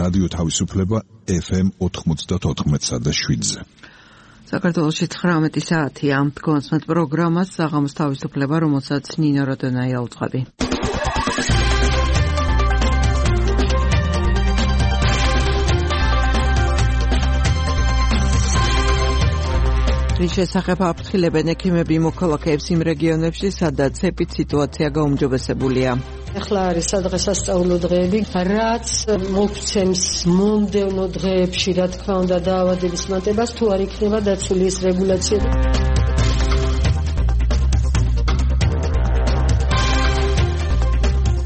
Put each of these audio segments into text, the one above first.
რადიო თავისუფლება FM 94.7-ზე. საქართველოში 19 საათია. კონსმეთ პროგრამას საღამოს თავისუფლება, რომელსაც ნინო როდონაია უძღვები. რის შესახებ აფრთხილებენ ექიმები მოქალაქეებს იმ რეგიონებში, სადაც ეპიდემიის გაუმჯობესებულია. ახლა არის სადღესასწაულო დღეები, რაც მოგცემს მომდევნო დღეებში, რა თქმა უნდა, დაავადების მატებას, თუ არ იქნება დაცული ეს რეგულაციები.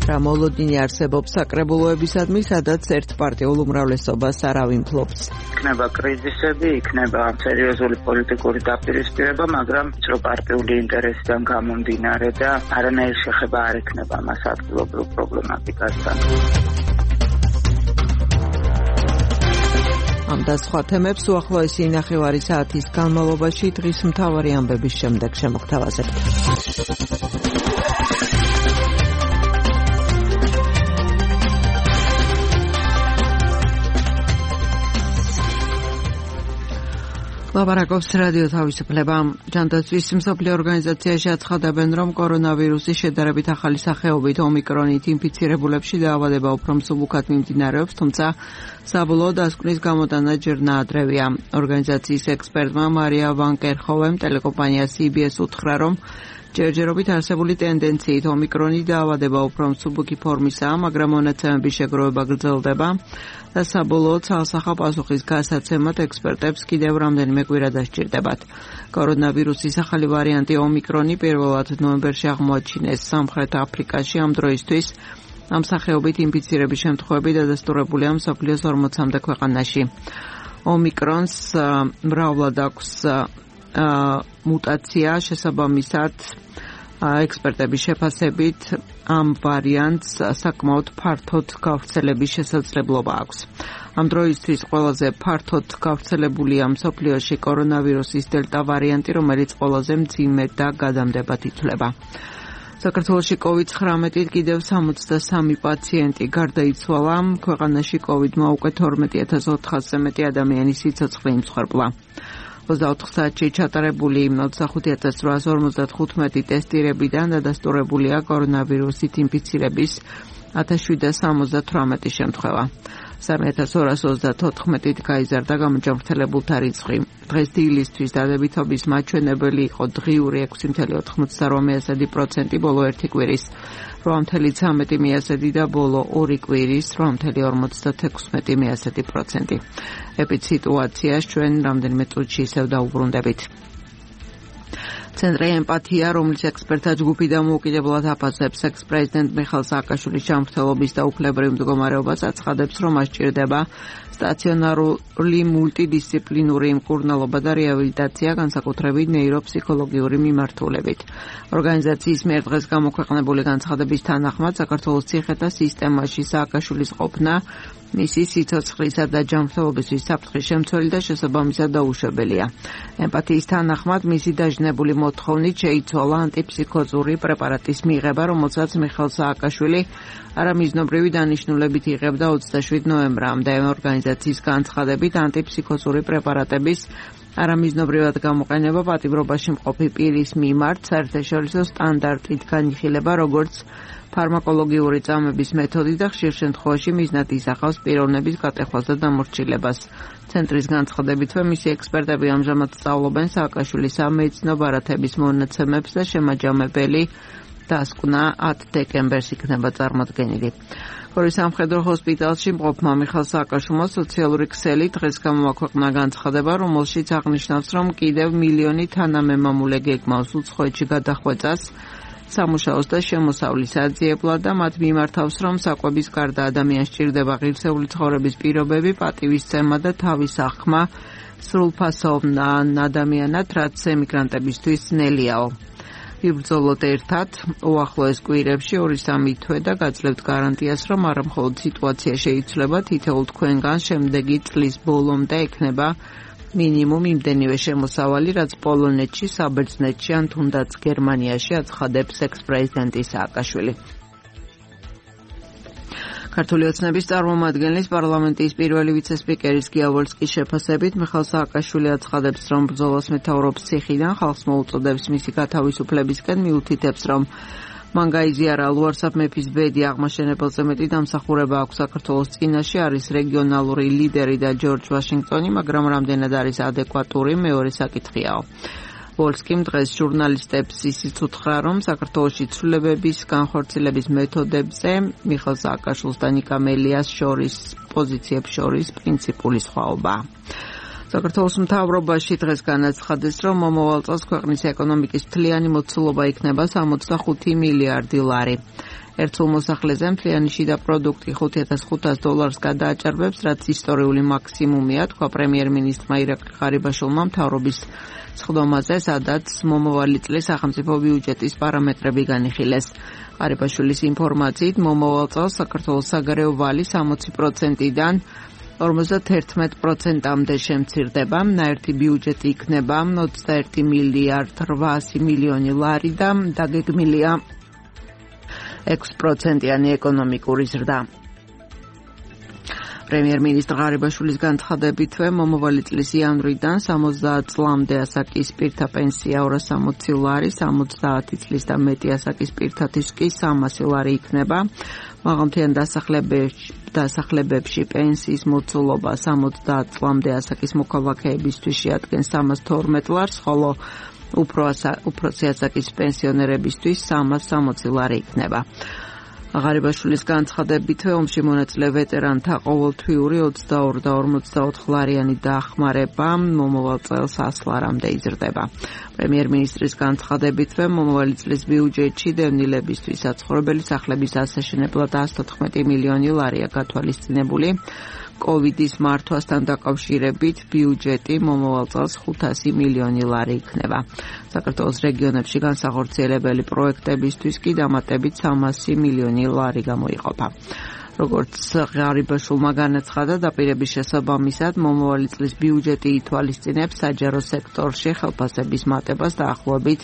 რა მოლოდინი არსებობს საკრებულოებისადმი, სადაც ერთპარტიულ უმრავლესობას არავინ ფლობს. იქნება კრიზისები, იქნება სერიოზული პოლიტიკური დაპირისპირება, მაგრამ რო პარტიული ინტერესიდან გამომდინარე და არანაირი შეხება არ იქნება მას ადგილობრივ პრობლემატიკასთან. ამ და სხვა თემებს უახლოესი ნახევარი საათის განმავლობაში დღის მთავარი ამბების შემდეგ შემოგთავაზებთ. ლაპარაკობს რადიო თავისუფლება. ჯანდაცვის მსოფლიო ორგანიზაციაში აცხადებენ, რომ კორონავირუსის შედარებით ახალი სახეობით ომიკრონით ინფიცირებულებში დაავადება უფრო მსუბუქად მიმდინარეობს, თუმცა საბოლოო დასკვნის გამოტანა ჯერ ნაადრევია. ორგანიზაციის ექსპერტმა მარია ვან კერხოვემ ტელეკომპანია CBS უთხრა, რომ ჯერჯერობით არსებული ტენდენციით ომიკრონი დაავადება უფრო მსუბუქი ფორმისაა, მაგრამ მონაცემების შეგროვება გრძელდება და საბოლოოდ ცალსახა პასუხის გასაცემად ექსპერტებს კიდევ რამდენიმე კვირა დასჭირდებათ. კორონავირუსის ახალი ვარიანტი ომიკრონი პირველად ნოემბერში აღმოაჩინეს სამხრეთ აფრიკაში. ამ დროისთვის ამ სახეობით ინფიცირების შემთხვევები დადასტურებულია მსოფლიოს 40-მდე ქვეყანაში. ომიკრონს მრავლად აქვს მუტაცია, შესაბამისად ექსპერტების შეფასებით ამ ვარიანტს საკმაოდ ფართოდ გავრცელების შესაძლებლობა აქვს. ამ დროისთვის ყველაზე ფართოდ გავრცელებულია მსოფლიოში კორონავირუსის დელტა ვარიანტი, რომელიც ყველაზე მძიმე და გადამდებად ითვლება. საქართველოში COVID-19-ით კიდევ 63 პაციენტი გარდაიცვალა. ქვეყანაში COVID-მა უკვე 12400-ზე მეტი ადამიანის სიცოცხლე იმსხვერპლა. 24 საათში ჩატარებული 25855 ტესტირებიდან დადასტურებულია კორონავირუსით ინფიცირების 1778 შემთხვევა. 3234-ით გაიზარდა გამოჯანმრთელებულთა რიცხვი. დღეს დილისთვის დადებითობის მაჩვენებელი იყო დღიური 6.98%, ბოლო ერთი კვირის 8.13% და ბოლო ორი კვირის 8.56%. ეპიდსიტუაციას ჩვენ რამდენიმე წუთში ისევ დაუბრუნდებით. ცენტრი ემპათია, რომლის ექსპერტთა ჯგუფი დამოუკიდებლად აფასებს ექს-პრეზიდენტ მიხეილ სააკაშვილის ჯანმრთელობის და უფლებრივ მდგომარეობას, აცხადებს, რომ მას სჭირდება სტაციონარული მულტიდისციპლინური მკურნალობა და რეაბილიტაცია, განსაკუთრებით ნეიროფსიქოლოგიური მიმართულებით. ორგანიზაციის მიერ დღეს გამოქვეყნებული განცხადების თანახმად, საქართველოს ციხეთა სისტემაში სააკაშვილის ყოფნა მისი სიცოცხლისა და ჯანმრთელობისთვის საფრთხის შემცველი და შესაბამისად დაუშვებელია. ემპათიის თანახმად, მისი დაჟნებული მოთხოვნით შეიცვალა ანტიფსიქოზური პრეპარატის მიღება, რომელსაც მიხეილ სააკაშვილი არამიზნობრივი დანიშნულებით იღებდა 27 ნოემბრამდე. ორგანიზაციის განცხადებით, ანტიფსიქოზური პრეპარატების არამიზნობრივად გამოყენება პატიმრობაში მყოფი პირის მიმართ საერთაშორისო სტანდარტით განიხილება, როგორც ფარმაკოლოგიური წამების მეთოდი და ხშირ შემთხვევაში მიზნად ისახავს პიროვნების გატეხვას და დამორჩილებას. ცენტრის განცხადებითვე, მისი ექსპერტები ამჟამად სწავლობენ სააკაშვილის სამედიცინო ბარათების მონაცემებს და შემაჯამებელი დასკვნა 10 დეკემბერს იქნება წარმოდგენილი. გორის სამხედრო ჰოსპიტალში მყოფმა მიხეილ სააკაშვილმა სოციალური ქსელი დღეს გამოაქვეყნა განცხადება, რომელშიც აღნიშნავს, რომ კიდევ მილიონი თანამემამულე გეგმავს უცხოეთში გადახვეწას სამუშაოს და შემოსავლის აძიებლად და მათ მიმართავს, რომ საკვების გარდა ადამიანს სჭირდება ღირსეული ცხოვრების პირობები, პატივისცემა და თავის აღქმა სრულფასოვან ადამიანად, რაც ემიგრანტებისთვის ძნელიაო. ვიბრძოლოთ ერთად, უახლოეს კვირებში 2-3 თვე და გაძლევთ გარანტიას, რომ არა მხოლოდ სიტუაცია შეიცვლება, თითოეულ თქვენგან შემდეგი წლის ბოლომდე ექნება მინიმუმ იმდენივე შემოსავალი, რაც პოლონეთში, საბერძნეთში ან თუნდაც გერმანიაში აცხადებს ექს-პრეზიდენტი სააკაშვილი. ქართული ოცნების წარმომადგენლის პარლამენტის პირველი ვიცე-სპიკერის გიავოლსკის შეფასებით მიხეილ სააკაშვილი აცხადებს, რომ ბრძოლას მეთაურობს ციხიდან, ხალხს მოუწოდებს მისი გათავისუფლებისკენ, მიუთითებს, რომ მან გაიზიარა ლუარსაბ მეფის ბედი აღმაშენებელზე მეტი დამსახურება აქვს საქართველოს წინაშე, არის რეგიონალური ლიდერი და ჯორჯ ვაშინგტონი, მაგრამ რამდენად არის ადეკვატური, მეორე საკითხიაო. ვოლსკიმ დღეს ჟურნალისტებს ისიც უთხრა, რომ საქართველოში ცვლილებების განხორციელების მეთოდებზე მიხეილ სააკაშვილს და ნიკა მელიას შორის პოზიციებს შორის პრინციპული სხვაობა. საქართველოს მთავრობაში დღეს განაცხადეს, რომ მომავალ წელს ქვეყნის ეკონომიკის მთლიანი მოცულობა იქნება 65 მილიარდი ლარი. ერთულ მოსახლეზე მთლიანი შიდა პროდუქტი $5,500 გადააჭარბებს, რაც ისტორიული მაქსიმუმია, თქვა პრემიერ-მინისტრმა ირაკლი ღარიბაშვილმა მთავრობის სხდომაზე, სადაც მომავალი წლის სახელმწიფო ბიუჯეტის პარამეტრები განიხილეს. ღარიბაშვილის ინფორმაციით, მომავალ წელს საქართველოს საგარეო ვალი 60%-დან 51%-მდე შემცირდება, ნაერთი ბიუჯეტი იქნება 21 მილიარდ 800 მილიონი ლარი და დაგეგმილია 6%-იანი ეკონომიკური ზრდა. პრემიერ-მინისტრ ღარიბაშვილის განცხადებითვე მომავალი წლის იანვრიდან 70 წლამდე ასაკის პირთა პენსია 260 ლარი, 70 წლის და მეტი ასაკის პირთათვის კი 300 ლარი იქნება. მაღალმთიან დასახლებებში პენსიის მოცულობა 70 წლამდე ასაკის მოქალაქეებისთვის შეადგენს 312 ლარს, ხოლო უფროსი ასაკის პენსიონერებისთვის 360 ლარი იქნება. ღარიბაშვილის განცხადებითვე ომში მონაწილე ვეტერანთა ყოველთვიური 22 და 54 ლარიანი დახმარება მომავალ წელს 100 ლარამდე იზრდება. პრემიერ-მინისტრის განცხადებითვე მომავალი წლის ბიუჯეტში დევნილებისთვის საცხოვრებელი სახლების ასაშენებლად 114 მილიონი ლარია გათვალისწინებული. კოვიდის მართვასთან დაკავშირებით ბიუჯეტი მომავალ წელს 500 მილიონი ლარი იქნება. საქართველოს რეგიონებში განსახორციელებელი პროექტებისთვის კი დამატებით 300 მილიონი ლარი გამოიყოფა. როგორც ღარიბაშვილმა განაცხადა, დაპირების შესაბამისად მომავალი წლის ბიუჯეტი ითვალისწინებს საჯარო სექტორში ხელფასების მატებას დაახლოებით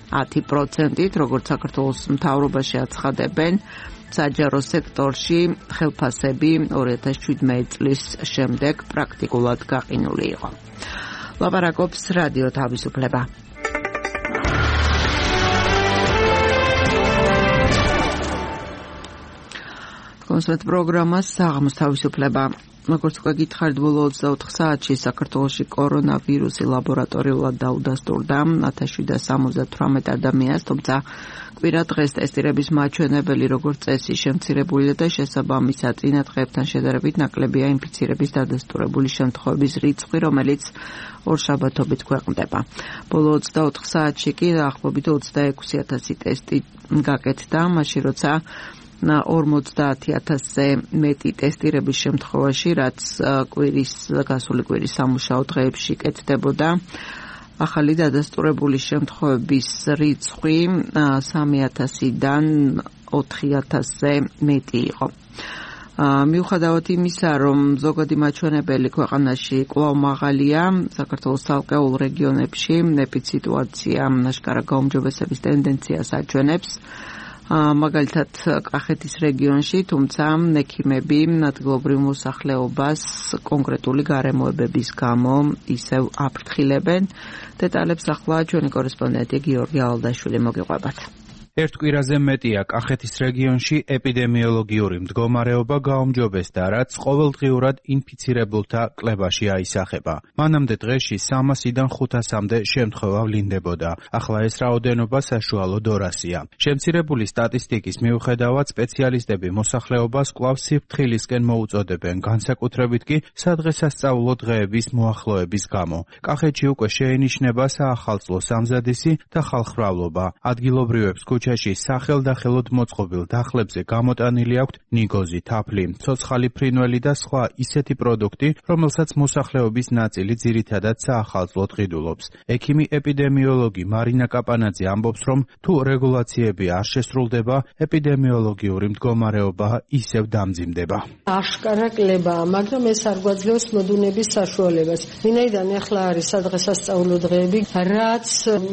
10%-ით, როგორც საქართველოს მთავრობაში აცხადებენ. საჯარო სექტორში ხელფასები 2017 წლის შემდეგ პრაქტიკულად გაყინული იყო. ლაპარაკობს რადიო თავისუფლება. კონსერტ პროგრამა საღამოს თავისუფლება. როგორც უკვე გითხარით, ბოლო 24 საათში საქართველოში კორონავირუსი ლაბორატორიულად დაუდასტურდა 1778 ადამიანს, თუმცა კვირა დღეს ტესტირების მაჩვენებელი როგორც წესი შემცირებულია და შესაბამისად წინა დღეებთან შედარებით ნაკლებია ინფიცირების დადასტურებული შემთხვევების რიცხვი, რომელიც ორშაბათობით ქვეყნდება. ბოლო 24 საათში კი დაახლოებით 26,000 ტესტი გაკეთდა, მაშინ როცა 50,000-ზე მეტი ტესტირების შემთხვევაში, რაც გასული კვირის სამუშაო დღეებში კეთდებოდა. ახალი დადასტურებული შემთხვევების რიცხვი 3,000-დან 4,000-ზე მეტი იყო. მიუხედავად იმისა, რომ ზოგადი მაჩვენებელი ქვეყანაში კვლავ მაღალია, საქართველოს ცალკეულ რეგიონებში ეპიდემიოლოგია აშკარა გაუმჯობესების ტენდენციას აჩვენებს. მაგალითად კახეთის რეგიონში, თუმცა ექიმები ადგილობრივ მოსახლეობას კონკრეტული გარემოებების გამო ისევ აფრთხილებენ. დეტალებს ახლა ჩვენი კორესპონდენტი გიორგი ალდაშვილი მოგიყვებათ. ერთ კვირაზე მეტია კახეთის რეგიონში ეპიდემიოლოგიური მდგომარეობა გაუმჯობესდა, რაც ყოველდღიურად ინფიცირებულთა კლებაში აისახება. მანამდე დღეში 300-დან 500-მდე შემთხვევა ვლინდებოდა. ახლა ეს რაოდენობა საშუალო 200-ია. შემცირებული სტატისტიკის მიუხედავად, სპეციალისტები მოსახლეობას კვლავ სიფრთხილისკენ მოუწოდებენ, განსაკუთრებით კი სადღესასწაულო დღეების მოახლოების გამო. კახეთში უკვე შეინიშნება საახალწლო სამზადისი და ხალხმრავლობა. ადგილობრივებს ქუჩაში სახელდახელოდ მოწყობილ დახლებზე გამოტანილი აქვთ ნიგოზი, თაფლი, ცოცხალი ფრინველი და სხვა ისეთი პროდუქტი, რომელსაც მოსახლეობის ნაწილი ძირითადად საახალწლოდ ყიდულობს. ექიმი ეპიდემიოლოგი მარინა კაპანაძე ამბობს, რომ თუ რეგულაციები არ შესრულდება, ეპიდემიოლოგიური მდგომარეობა ისევ დამძიმდება. აშკარა კლებაა, მაგრამ ეს არ გვაძლევს მოდუნების საშუალებას. ვინაიდან ახლა არის სადღესასწაულო დღეები, რაც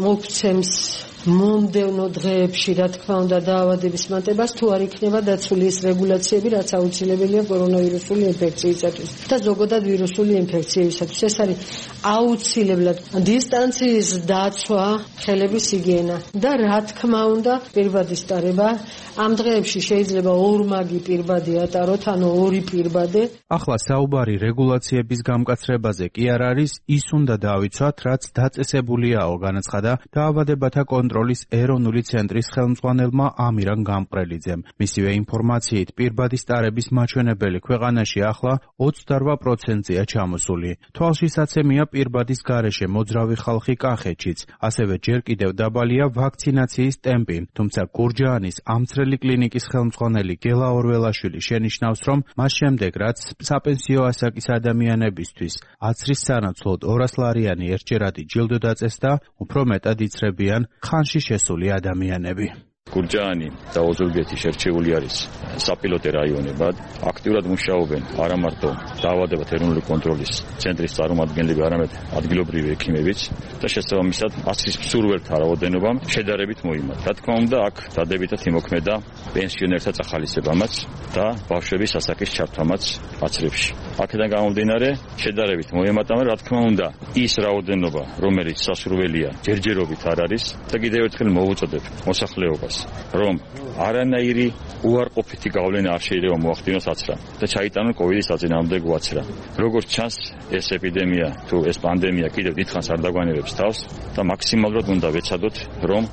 მოგცემს მომდევნო დღეებში, რა თქმა უნდა, დაავადების მატებას, თუ არ იქნება დაცული ეს რეგულაციები, რაც აუცილებელია კორონავირუსული ინფექციისათვის და ზოგადად ვირუსული ინფექციებისათვის. ეს არის აუცილებლად დისტანციის დაცვა, ხელების ჰიგიენა და რა თქმა უნდა, პირბადის ტარება. ამ დღეებში შეიძლება ორმაგი პირბადი ატაროთ, ანუ ორი პირბადე. ახლა საუბარი რეგულაციების გამკაცრებაზე კი არ არის, ის უნდა დავიცვათ, რაც დაწესებულიაო, განაცხადა დაავადებათა კონტროლის ეროვნული ცენტრის ხელმძღვანელმა ამირან გამყრელიძემ. მისივე ინფორმაციით, პირბადის ტარების მაჩვენებელი ქვეყანაში ახლა 28%-ია ჩამოსული. თვალშისაცემია პირბადის გარეშე მოძრავი ხალხი კახეთშიც, ასევე ჯერ კიდევ დაბალია ვაქცინაციის ტემპი. თუმცა გურჯაანის ამცრელი კლინიკის ხელმძღვანელი გელა ორველაშვილი შენიშნავს, რომ მას შემდეგ, რაც საპენსიო ასაკის ადამიანებისთვის აცრის სანაცვლოდ 200 ლარიანი ერთჯერადი ჯილდო დაწესდა, უფრო მეტად იცრებიან ხანში შესული ადამიანები. გურჯაანი და ოზურგეთი შერჩეული არის საპილოტე რაიონებად. აქტიურად მუშაობენ არა მარტო დაავადებათა ეროვნული კონტროლის ცენტრის წარმომადგენლები, არამედ ადგილობრივი ექიმებიც და შესაბამისად აცრის მსურველთა რაოდენობამ შედარებით მოიმატა. რა თქმა უნდა, აქ დადებითად იმოქმედა პენსიონერთა წახალისებამაც და ბავშვების ასაკის ჩართვამაც აცრებში. აქედან გამომდინარე, შედარებით მოემატა, რა თქმა უნდა, ის რაოდენობა, რომელიც სასურველია, ჯერჯერობით არ არის და კიდევ ერთხელ მოვუწოდებ მოსახლეობას, რომ არანაირი უარყოფითი გავლენა არ შეიძლება მოახდინოს აცრა და ჩაიტანონ კოვიდის საწინააღმდეგო აცრა. როგორც ჩანს, ეს ეპიდემია თუ ეს პანდემია კიდევ დიდხანს არ დაგვანებებს თავს და მაქსიმალურად უნდა ვეცადოთ, რომ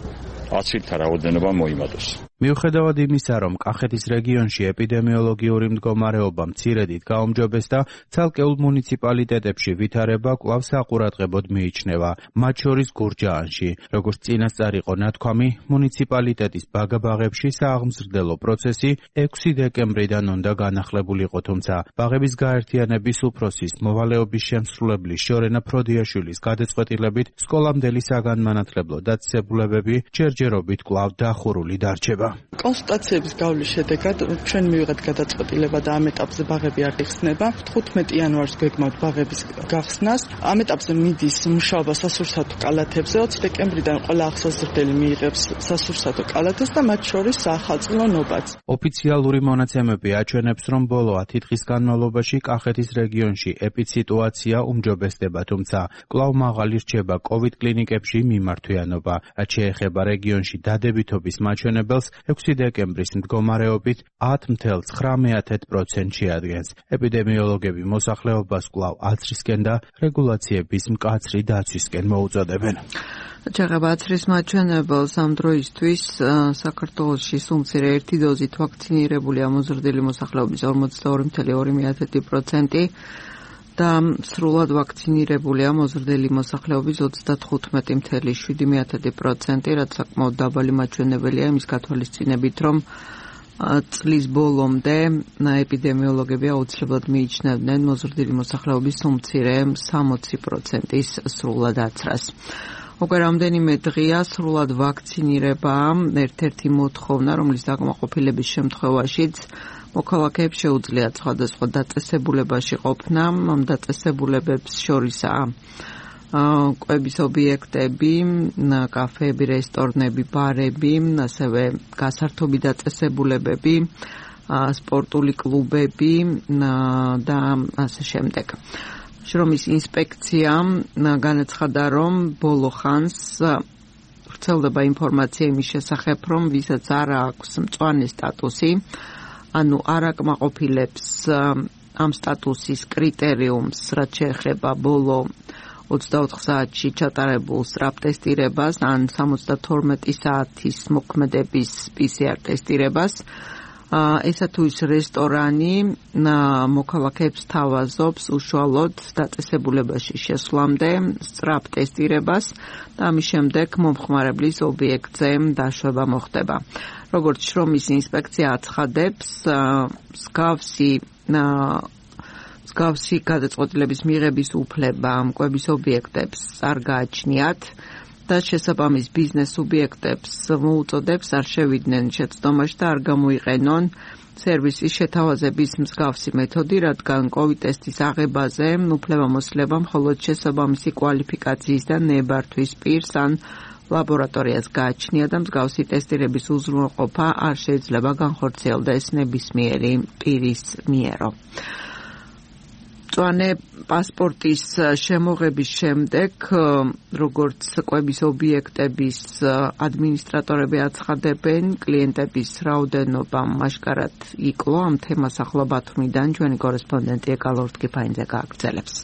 აცრითა რაოდენობა მოიმატოს. მიუხედავად იმისა, რომ კახეთის რეგიონში ეპიდემიოლოგიური მდგომარეობა მცირედით გაუმჯობეს და ცალკეულ მუნიციპალიტეტებში ვითარება კვლავ საყურადღებოდ მიიჩნევა, მათ შორის გურჯაანში. როგორც წინასწარ იყო ნათქვამი, მუნიციპალიტეტის ბაგაბაღებში სააღმზრდელო პროცესი 6 დეკემბრიდან უნდა განახლებულიყო, თუმცა ბაღების გაერთიანების უფროსის მოვალეობის შემსრულებლის შორენა ფროდიაშვილის გადაწყვეტილებით სკოლამდელი საგანმანათლებლო დაწესებულებები ჯერჯერობით კვლავ დახურული დარჩება. კონსულტაციების გავლის შედეგად ჩვენ მივიღეთ გადაწყვეტილება და ამ ეტაპზე ბაღები არ იხსნება. 15 იანვარს გვეგმავთ ბაღების გახსნას. ამ ეტაპზე მიდის მუშაობა სასურსათო კალათებზე. 20 დეკემბრიდან ყველა ახსოვსდელი მიიღებს სასურსათო კალათებს და მათ შორის საახალწლო ნობაც. ოფიციალური მონაცემები აჩვენებს, რომ ბოლო 10 დღის განმავლობაში კახეთის რეგიონში ეპიდსიტუაცია უმჯობესდება, თუმცა კვლავ მაღალი რჩება კოვიდ კლინიკებში მიმართვიანობა. რაც შეეხება რეგიონში დადებითობის მაჩვენებელს, 6 დეკემბრის მდგომარეობით 10,9% შეადგენს. ეპიდემიოლოგები მოსახლეობას კვლავ აცრისკენ და რეგულაციების მკაცრი დაცვისკენ მოუწოდებენ. ჩაღება აცრის მაჩვენებელს ამ დროისთვის საქართველოში სულ-მცირე ერთი დოზით ვაქცინირებული ამოზრდილი მოსახლეობის 42,2% და სრულად ვაქცინირებული ამოზრდილი მოსახლეობის 35,7%, რაც საკმაოდ დაბალი მაჩვენებელია იმის გათვალისწინებით, რომ წლის ბოლომდე ეპიდემიოლოგები აუცილებლად მიიჩნევდნენ მოზრდილი მოსახლეობის სულ-მცირე 60%-ის სრულად აცრას. უკვე რამდენიმე დღეა სრულად ვაქცინირება ერთ-ერთი მოთხოვნა, რომლის დაკმაყოფილების შემთხვევაშიც მოქალაქეებს შეუძლიათ სხვადასხვა დაწესებულებაში ყოფნა. ამ დაწესებულებებს შორისაა კვების ობიექტები, კაფეები, რესტორნები, ბარები, ასევე გასართობი დაწესებულებები, სპორტული კლუბები და ასე შემდეგ. შრომის ინსპექციამ განაცხადა, რომ ბოლო ხანს ვრცელდება ინფორმაცია იმის შესახებ, რომ ვისაც არ აქვს მწვანე სტატუსი, ანუ არ აკმაყოფილებს ამ სტატუსის კრიტერიუმს, რაც შეეხება ბოლო 24 საათში ჩატარებულ სწრაფ ტესტირებას ან 72 საათის მოქმედების PCR ტესტირებას, ესა თუ ის რესტორანი მოქალაქეებს თავაზობს უშუალოდ დაწესებულებაში შესვლამდე სწრაფ ტესტირებას და ამის შემდეგ მომხმარებლის ობიექტზე დაშვება მოხდება. როგორც შრომის ინსპექცია აცხადებს, მსგავსი გადაწყვეტილების მიღების უფლება მკვების ობიექტებს არ გააჩნიათ და შესაბამის ბიზნეს სუბიექტებს მოუწოდებს არ შევიდნენ შეცდომაში და არ გამოიყენონ სერვისის შეთავაზების მსგავსი მეთოდი, რადგან COVID ტესტის აღებაზე უფლებამოსილება მხოლოდ შესაბამისი კვალიფიკაციის და ნებართვის პირს ან ლაბორატორიას გააჩნია და მსგავსი ტესტირების უზრუნველყოფა არ შეიძლება განხორციელდეს ნებისმიერი პირის მიერო. მწვანე პასპორტის შემოღების შემდეგ, როგორც კვების ობიექტების ადმინისტრატორები აცხადებენ, კლიენტების რაოდენობა მასშტაბად იკლო. ამ თემას ახლა ბათუმიდან ჩვენი კორესპონდენტი ეკალორ ტკიფაინძე გააგრძელებს.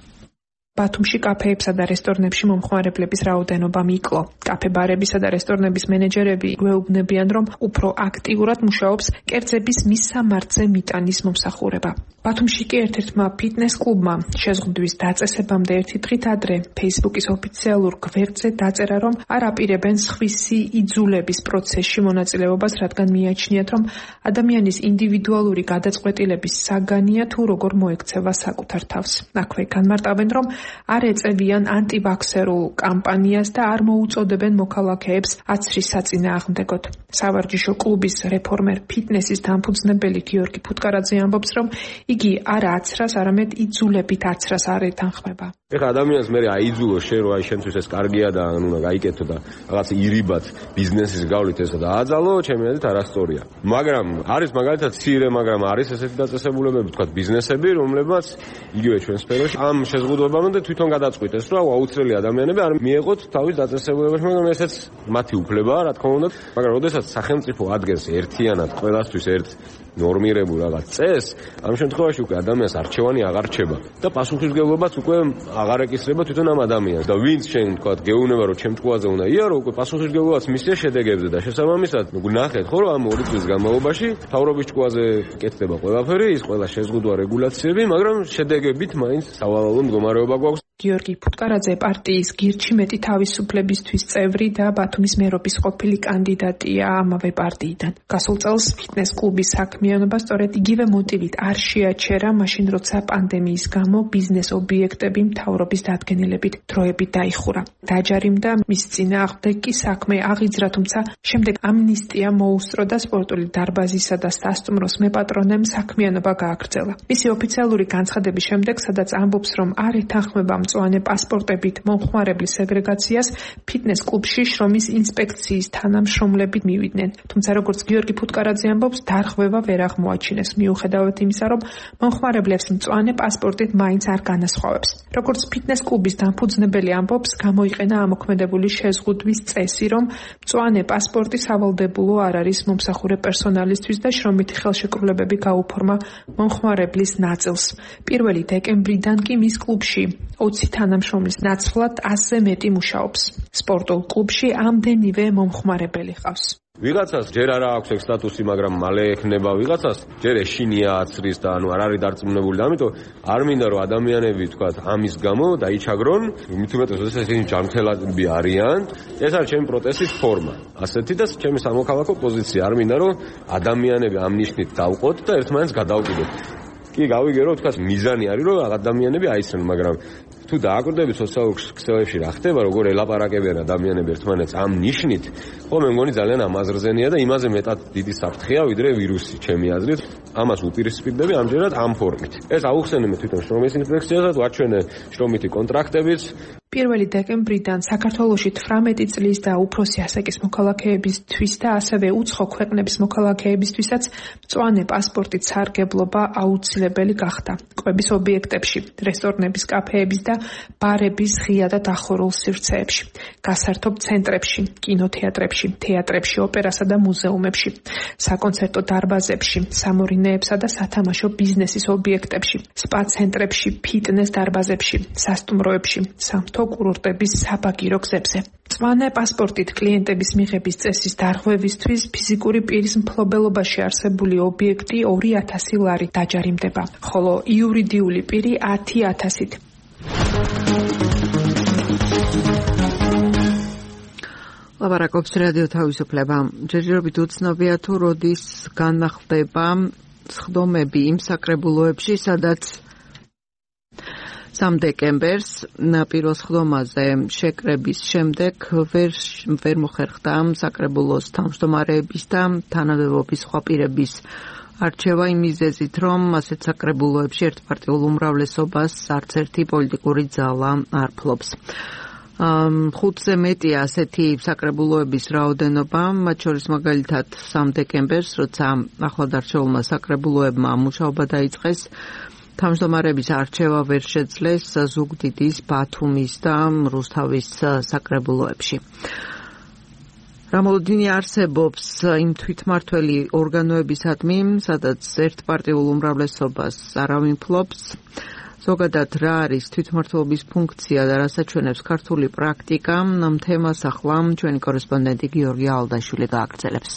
ბათუმში კაფეებსა და რესტორნებში მომხმარებლების რაოდენობამ იკლო. კაფე-ბარებისა და რესტორნების მენეჯერები გვეუბნებიან, რომ უფრო აქტიურად მუშაობს კერძების მისამართზე მიტანის მომსახურება. ბათუმში კი ერთ-ერთმა ფიტნეს კლუბმა შეზღუდვის დაწესებამდე ერთი დღით ადრე Facebook-ის ოფიციალურ გვერდზე დაწერა, რომ არ აპირებენ სხვისი იძულების პროცესში მონაწილეობას, რადგან მიაჩნიათ, რომ ადამიანის ინდივიდუალური გადაწყვეტილების საგანია თუ როგორ მოექცევა საკუთარ თავს. აქვე განმარტავენ, რომ არ ეწევიან ანტივაქსერულ კამპანიას და არ მოუწოდებენ მოქალაქეებს აცრის საწინააღმდეგოდ. სავარჯიშო კლუბის რეფორმერ ფიტნესის დამფუძნებელი გიორგი ფუტკარაძე ამბობს, რომ იგი არა აცრას, არამედ იძულებით აცრას არ ეთანხმება. ეხლა ადამიანს მე აიძულო შენ რომ აი შენთვის ეს კარგია და უნდა გაიკეთო და რაღაც ირიბად ბიზნესის გავლით ესა და აძალო, ჩემი აზრით არასწორია. მაგრამ არის მაგალითად ცირე, მაგრამ არის ესეთი დაწესებულებები, თქვა ბიზნესები, რომლებიც იგივე ჩვენ სფეროში ამ შეზღუდვებამდე თვითონ გადაწყვიტეს, რომ აუცილებელი ადამიანები არ მიეღოთ თავის დაწესებულებაში, მაგრამ ესეც მათი უფლებაა, რა თქმა უნდა, მაგრამ როდესაც სახელმწიფო ადგენს ერთიანად ყველასთვის ერთ ნორმირებულ რაღაც წესს, ამ შემთხვევაში უკვე ადამიანს არჩევანი აღარ რჩება და პასუხისმგებლობაც უკვე აღარ ეკისრება თვითონ ამ ადამიანს და ვინც შენ თქვა გეუბნება რომ ჩემ ჭკუაზე უნდა იარო, უკვე პასუხისმგებლობაც მისცეს შედეგებზე და შესაბამისად ნახეთ ხო რომ ამ 2 წლის განმავლობაში მთავრობის ჭკუაზე კეთდება ყველაფერი, ის ყველა შეზღუდვა რეგულაციები, მაგრამ შედეგებით მაინც სავალალო მდგომარეობა გვაქვს. გიორგი ფუტკარაძე პარტიის გირჩი მეტი თავისუფლებისთვის წევრი და ბათუმის მერობის ყოფილი კანდიდატია ამავე პარტიიდან. გასულ წელს ფიტნეს კლუბის საქმიანობა სწორედ იგივე მოტივით არ შეაჩერა, მაშინ როცა პანდემიის გამო ბიზნეს ობიექტები მთავრობის დადგენილებით დროებით დაიხურა. დაჯარიმდა მის წინააღმდეგ კი საქმე აღიძრა, თუმცა შემდეგ ამნისტია მოუსწრო და სპორტული დარბაზისა და სასტუმროს მეპატრონემ საქმიანობა გააგრძელა. მისი ოფიციალური განცხადების შემდეგ, სადაც ამბობს, რომ არ ეთანხმება მწვანე პასპორტებით მომხმარებლის სეგრეგაციას, ფიტნეს კლუბში შრომის ინსპექციის თანამშრომლები მივიდნენ. თუმცა როგორც გიორგი ფუტკარაძე ამბობს, დარღვევა ვერ აღმოაჩინეს, მიუხედავად იმისა, რომ მომხმარებლებს მწვანე პასპორტით მაინც არ განასხვავებს. როგორც ფიტნეს კლუბის დამფუძნებელი ამბობს, გამოიყენა ამოქმედებული შეზღუდვის წესი, რომ მწვანე პასპორტი სავალდებულო არ არის მომსახურე პერსონალისთვის და შრომითი ხელშეკრულებები გაუფორმა მომხმარებლის ნაწილს. 1 დეკემბრიდან კი მის კლუბში 20 თანამშრომლის ნაცვლად 100-ზე მეტი მუშაობს. სპორტულ კლუბში ამდენივე მომხმარებელი ყავს. ვიღაცას ჯერ არა აქვს ეგ სტატუსი, მაგრამ მალე ექნება, ვიღაცას ჯერ ეშინია აცრის და არ არის დარწმუნებული და ამიტომ არ მინდა რომ ადამიანები თქვა ამის გამო დაიჩაგრონ, მით უმეტეს როდესაც ისინი ჯანმრთელები არიან, ეს არის ჩემი პროტესტის ფორმა. ასეთი და ჩემი სამოქალაქო პოზიცია, არ მინდა რომ ადამიანები ამ ნიშნით დავყოთ და ერთმანეთს გადავკიდოთ. კი გავიგერო, თქვა მიზანი არის რომ ადამიანები აიცნონ, მაგრამ თუ დააკვირდებით სოციალურ ქსელებში რა ხდება, როგორ ელაპარაკებიან ადამიანები ერთმანეთს ამ ნიშნით, ხო მე მგონი ძალიან ამაზრზენია და იმაზე მეტად დიდი საფრთხეა ვიდრე ვირუსი, ჩემი აზრით. ამას უპირისპირდები ამჯერად ამ ფორმით. ეს აუხსენებთ თვითონ შრომის ინსპექციასაც, ვაჩვენე შრომითი კონტრაქტებიც. 1 დეკემბრიდან საქართველოში 18 წლის და უფროსი ასაკის მოქალაქეებისთვის და ასევე უცხო ქვეყნების მოქალაქეებისთვისაც მწვანე პასპორტით სარგებლობა აუცილებელი გახდა. კვების ობიექტებში, რესტორნების, კაფეების და ბარების ღია და დახურულ სივრცეებში, გასართობ ცენტრებში, კინოთეატრებში, თეატრებში, ოპერასა და მუზეუმებში, საკონცერტო დარბაზებში, სამორინეებსა და სათამაშო ბიზნესის ობიექტებში, სპა ცენტრებში, ფიტნეს დარბაზებში, სასტუმროებში, საფეხბურთო კურორტების საბაგირო გზებზე. მწვანე პასპორტით კლიენტების მიღების წესის დარღვევისთვის ფიზიკური პირის მფლობელობაში არსებული ობიექტი 2000 ლარი დაჯარიმდება, ხოლო იურიდიული პირი 10,000-ით. ლაპარაკობს რადიო თავისუფლება. ჯერჯერობით უცნობია თუ როდის განახლდება სხდომები იმ საკრებულოებში, სადაც 3 დეკემბერს პირველ სხდომაზე შეკრების შემდეგ ვერ მოხერხდა საკრებულოს თავმჯდომარეების და თანამდებობის სხვა პირების არჩევა იმ მიზეზით, რომ ასეთ საკრებულოებში ერთპარტიულ უმრავლესობას არც ერთი პოლიტიკური ძალა არ ფლობს. 5-ზე მეტია ასეთი საკრებულოების რაოდენობა, მათ შორის მაგალითად 3 დეკემბერს, როცა ახლადარჩეულმა საკრებულოებმა მუშაობა დაიწყეს, თავმჯდომარეების არჩევა ვერ შეძლეს ზუგდიდის, ბათუმის და რუსთავის საკრებულოებში. რამოდენი არსებობს იმ თვითმმართველი ორგანოებისადმი, სადაც ერთპარტიულ უმრავლესობას არავინ ფლობს. ზოგადად რა არის თვითმმართველობის ფუნქცია და რას აჩვენებს ქართული პრაქტიკა, ამ თემას ახლა ჩვენი კორესპონდენტი გიორგი ალდაშვილი გააგრძელებს.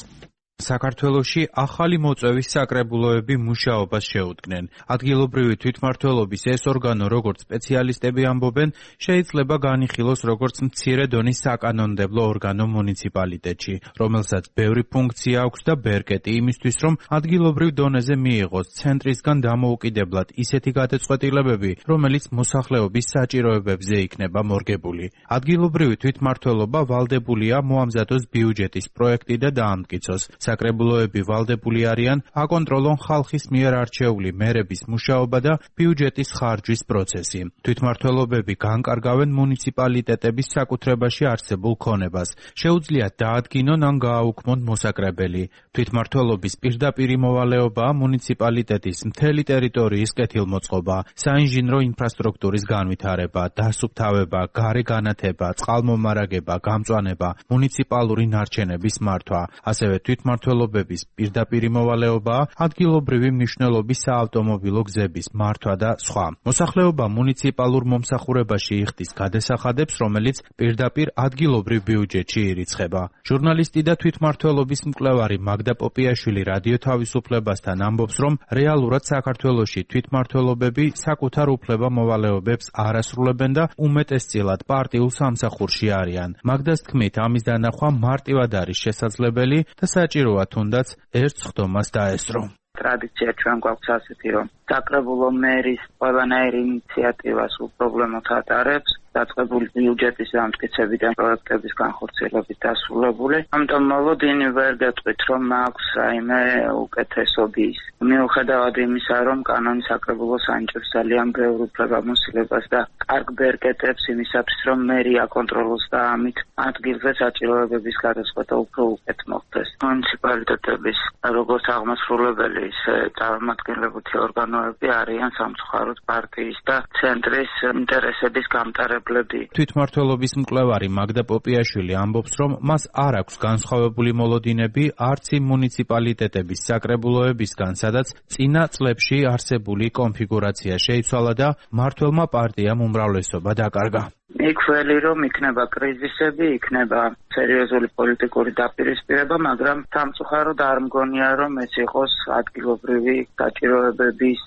საქართველოში ახალი მოწვევის საკრებულოები მუშაობას შეუდგნენ. ადგილობრივი თვითმმართველობის ეს ორგანო, როგორც სპეციალისტები ამბობენ, შეიძლება განიხილოს როგორც მცირე დონის საკანონმდებლო ორგანო მუნიციპალიტეტში, რომელსაც ბევრი ფუნქცია აქვს და ბერკეტი იმისთვის, რომ ადგილობრივ დონეზე მიიღოს ცენტრისგან დამოუკიდებლად ისეთი გადაწყვეტილებები, რომელიც მოსახლეობის საჭიროებებზე იქნება მორგებული. ადგილობრივი თვითმმართველობა ვალდებულია მოამზადოს ბიუჯეტის პროექტი და დაამტკიცოს. საკრებულოები ვალდებული არიან აკონტროლონ ხალხის მიერ არჩეული მერების მუშაობა და ბიუჯეტის ხარჯვის პროცესი. თვითმმართველობები განკარგავენ მუნიციპალიტეტების საკუთრებაში არსებულ ქონებას. შეუძლიათ დაადგინონ ან გააუქმონ მოსაკრებელი. თვითმმართველობის პირდაპირი მოვალეობაა მუნიციპალიტეტის მთელი ტერიტორიის კეთილმოწყობა, საინჟინრო ინფრასტრუქტურის განვითარება, დასუფთავება, გარე განათება, წყალმომარაგება, გამწვანება, მუნიციპალური ნარჩენების მართვა, ასევე თვითმმართველობების პირდაპირი მოვალეობაა ადგილობრივი მნიშვნელობის საავტომობილო გზების მართვა და სხვა. მოსახლეობა მუნიციპალურ მომსახურებაში იხდის გადასახადებს, რომელიც პირდაპირ ადგილობრივ ბიუჯეტში ირიცხება. ჟურნალისტი და თვითმმართველობის მკვლევარი მაგდა პოპიაშვილი რადიო თავისუფლებასთან ამბობს, რომ რეალურად საქართველოში თვითმმართველობები საკუთარ უფლება-მოვალეობებს არ ასრულებენ და უმეტესწილად პარტიულ სამსახურში არიან. მაგდას თქმით, ამის დანახვა მარტივად არის შესაძლებელი და საჭიროა თუნდაც ერთ სხდომას დაესწრო. ტრადიცია ჩვენ გვაქვს ასეთი, რომ საკრებულო მერის ყველანაირი ინიციატივას უპრობლემოდ ატარებს, დაწყებული ბიუჯეტის დამტკიცებიდან პროექტების განხორციელებით დასრულებული. ამიტომ მოლოდინი ვერ გეტყვით, რომ აქვს რაიმე უკეთესობის. მიუხედავად იმისა, რომ კანონი საკრებულოს ანიჭებს ძალიან ბევრ უფლებამოსილებას და კარგ ბერკეტებს იმისათვის, რომ მერი აკონტროლოს და ამით ადგილზე საჭიროებების გადაწყვეტა უფრო უკეთ მოხდეს. მუნიციპალიტეტების როგორც აღმასრულებელი, ისე წარმომადგენლობითი ორგანოები არიან სამწუხაროდ პარტიის და ცენტრის ინტერესების გამტარებლები. თვითმმართველობის მკვლევარი მაგდა პოპიაშვილი ამბობს, რომ მას არ აქვს განსხვავებული მოლოდინები არც იმ მუნიციპალიტეტების საკრებულოებისგან, სადაც წინა წლებში არსებული კონფიგურაცია შეიცვალა და მმართველმა პარტიამ უმრავლესობა დაკარგა. იქველი რომ იქნება კრიზისები, იქნება სერიოზული პოლიტიკური დაპირისპირება, მაგრამ სამწუხაროდ არ მგონია, რომ ეს იყოს ადგილობრივი საჭიროებების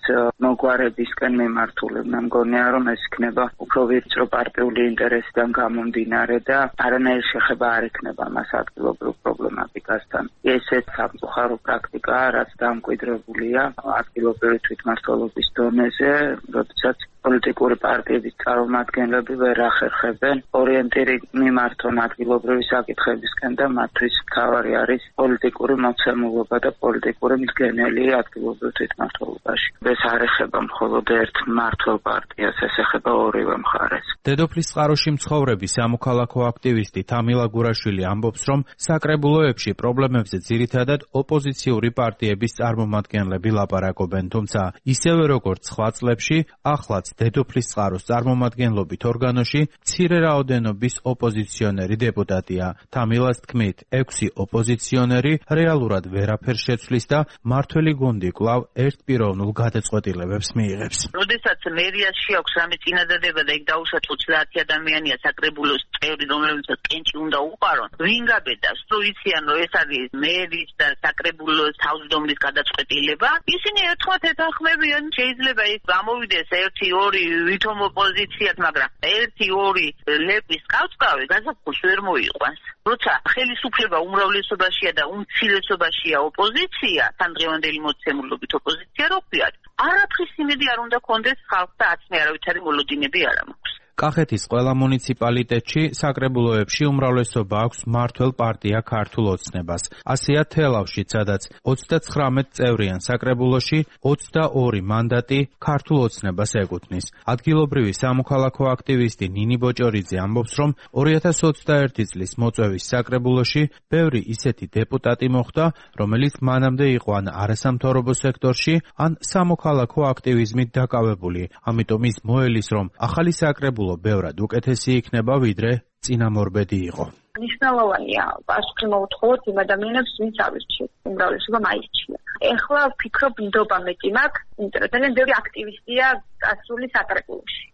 მოგვარებისკენ მიმართული. მე მგონია, რომ ეს იქნება უფრო ვიწრო პარტიული ინტერესიდან გამომდინარე და არანაირი შეხება არ იქნება მას ადგილობრივ პრობლემატიკასთან. ესეც სამწუხარო პრაქტიკაა, რაც დამკვიდრებულია ადგილობრივი თვითმმართველობის დონეზე, როდესაც პოლიტიკური პარტიების წარმომადგენლები ვერ ახერხებენ ორიენტირი მიმართონ ადგილობრივი საკითხებისკენ და მათთვის მთავარი არის პოლიტიკური მოცემულობა და პოლიტიკური მდგენელი ადგილობრივ თვითმმართველობაში. ეს არ ეხება მხოლოდ ერთ მმართველ პარტიას, ეს ეხება ორივე მხარეს. დედოფლის წყაროში მცხოვრები სამოქალაქო აქტივისტი თამილა გურაშვილი ამბობს, რომ საკრებულოებში პრობლემებზე ძირითადად ოპოზიციური პარტიების წარმომადგენლები ლაპარაკობენ, თუმცა ისევე როგორც სხვა წლებში, ახლაც დედოფლის წყაროს წარმომადგენლობით ორგანოში მცირე რაოდენობის ოპოზიციონერი დეპუტატია. თამილას თქმით, 6 ოპოზიციონერი რეალურად ვერაფერს შეცვლის და მართველი გუნდი კვლავ ერთპიროვნულ გადაწყვეტილებებს მიიღებს. როდესაც მერიასში აქვს რამე წინადადება და იქ დაუშვათ 30 ადამიანია საკრებულოს წევრი, რომლებსაც კენჭი უნდა უყარონ, ვინ გაბედავს? თუ იციან, რომ ეს არის მერის და საკრებულოს თავმჯდომარის გადაწყვეტილება, ისინი ერთხმად ეთანხმებიან, შეიძლება ის გამოვიდეს 1-2 ვითომ ოპოზიციად, მაგრამ 1-2 ლეპის კავწკავი გაზაფხულს ვერ მოიყვანს. როცა ხელისუფლება უმრავლესობაშია და უმცირესობაშია ოპოზიცია, თან დღევანდელი მოცემულობით ოპოზიცია რო ვქვიათ, არაფრის იმედი არ უნდა კონდეს ხალხს და აცნე არავითარი მოლოდინები არ მაქვს. კახეთის ყველა მუნიციპალიტეტში საკრებულოებში უმრავლესობა აქვს მმართველ პარტია ქართულ ოცნებას. ასეა თელავში, სადაც 39 წევრიან საკრებულოში 22 მანდატი ქართულ ოცნებას ეკუთვნის. ადგილობრივი სამოქალაქო აქტივისტი ნინი ბოჭორიძე ამბობს, რომ 2021 წლის მოწვევის საკრებულოში ბევრი ისეთი დეპუტატი მოხვდა, რომელიც მანამდე იყო ან არასამთავრობო სექტორში, ან სამოქალაქო აქტივიზმით დაკავებული. ამიტომ ის მოელის, რომ ახალი საკრებულო ბევრად უკეთესი იქნება, ვიდრე წინამორბედი იყო. მნიშვნელოვანია პასუხი მოუთხოვოთ იმ ადამიანებს, ვინც ავირჩიეს, უმრავლესობა მაისჩია. ეხლა ვფიქრობ, ნდობა მეტი მაქვს, იმიტომ რომ ძალიან ბევრი აქტივისტია გასული საკრებულოში.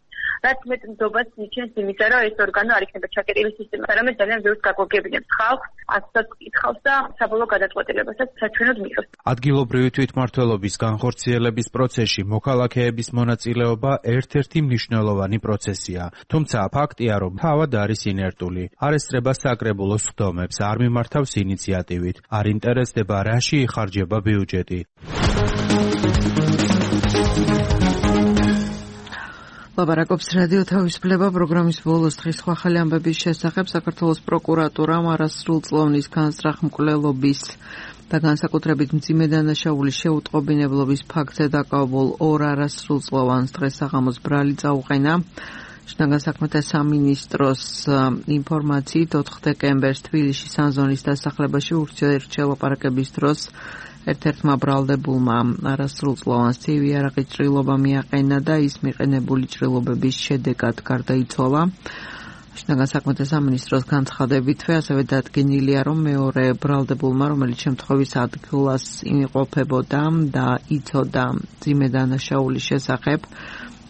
რაც მეტ ნდობას მიჩენს იმისა, რომ ეს ორგანო არ იქნება ჩაკეტილი სისტემით, არამედ ძალიან ბევრს გაგვაგებინებს ხალხს, ასსაც კითხავს და საბოლოო გადაწყვეტილებასაც საჩვენოდ მიიღებს. ადგილობრივი თვითმმართველობის განხორციელების პროცესში მოქალაქეების მონაწილეობა ერთ-ერთი მნიშვნელოვანი პროცესია. თუმცა ფაქტია, რომ თავად არის ინერტული. არ ესწრება საკრებულოს სხდომებს, არ მიმართავს ინიციატივით, არ ინტერესდება რაში იხარჯება ბიუჯეტი. ლაპარაკობს რადიო თავისუფლება პროგრამის ბოლოს დღის სხვა ახალი ამბების შესახებ. საქართველოს პროკურატურამ არასრულწლოვნის განსწრახმკვლელობის და განსაკუთრებით მძიმე დანაშაულის შეუტყობინებლობის ფაქტზე დაკავებულ 2 არასრულწლოვანს დღეს საღამოს ბრალი წაუყენა. შინაგან საქმეთა სამინისტროს ინფორმაციით 4 დეკემბერს თბილისში სანზონის დასახლებაში ურთიერთო ლაპარაკების დროს ერთ-ერთმა ბრალდებულმა არასრულწლოვანს ცივი არაყი ჭრილობა მიაყენა და ის მიყენებული ჭრილობების შედეგად გარდაიცვალა. შინაგან საქმეთა სამინისტროს განცხადებითვე ასევე დადგენილია, რომ მეორე ბრალდებულმა, რომელიც შემთხვევის ადგილას იმყოფებოდა და იცოდა მძიმე დანაშაულის შესახებ,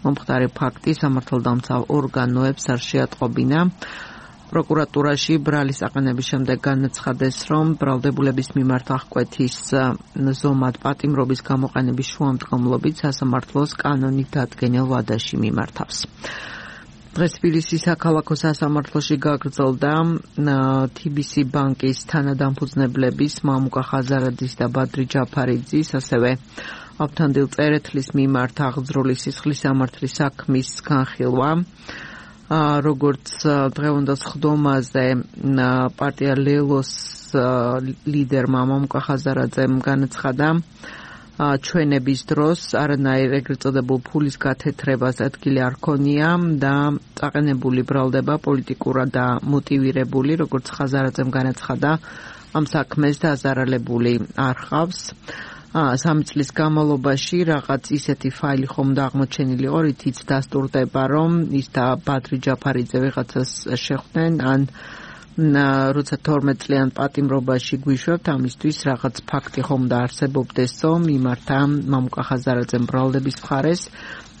მომხდარი ფაქტი სამართალდამცავ ორგანოებს არ შეატყობინა. პროკურატურაში ბრალის აყენების შემდეგ განაცხადეს, რომ ბრალდებულების მიმართ აღკვეთის ზომად პატიმრობის გამოყენების შუამდგომლობით სასამართლოს კანონით დადგენილ ვადაში მიმართავს. დღეს თბილისის საქალაქო სასამართლოში გაგრძელდა TBC ბანკის თანადამფუძნებლების მამუკა ხაზარაძის და ბადრი ჯაფარიძის, ასევე ავთანდილ წერეთლის მიმართ აღძრული სისხლის სამართლის საქმის განხილვა. როგორც დღევანდელ სხდომაზე პარტია ლელოს ლიდერმა მამუკა ხაზარაძემ განაცხადა, ჩვენების დროს არანაირ ეგრეთ წოდებულ ფულის გათეთრებას ადგილი არ ქონია და წაყენებული ბრალდება პოლიტიკურად და მოტივირებული, როგორც ხაზარაძემ განაცხადა, ამ საქმეს დაზარალებული არ ხავს. 3 წლის განმავლობაში რაღაც ისეთი ფაილი ხომ და აღმოჩენილი იყო, რითიც დასტურდება, რომ ის და ბადრი ჯაფარიძე ვიღაცას შეხვდნენ, ან როცა 12 წლიან პატიმრობაში გვიშვებთ, ამისთვის რაღაც ფაქტი ხომ და არსებობდეს, რომ მიმართა მამუკა ხაზარაძემ ბრალდების მხარეს.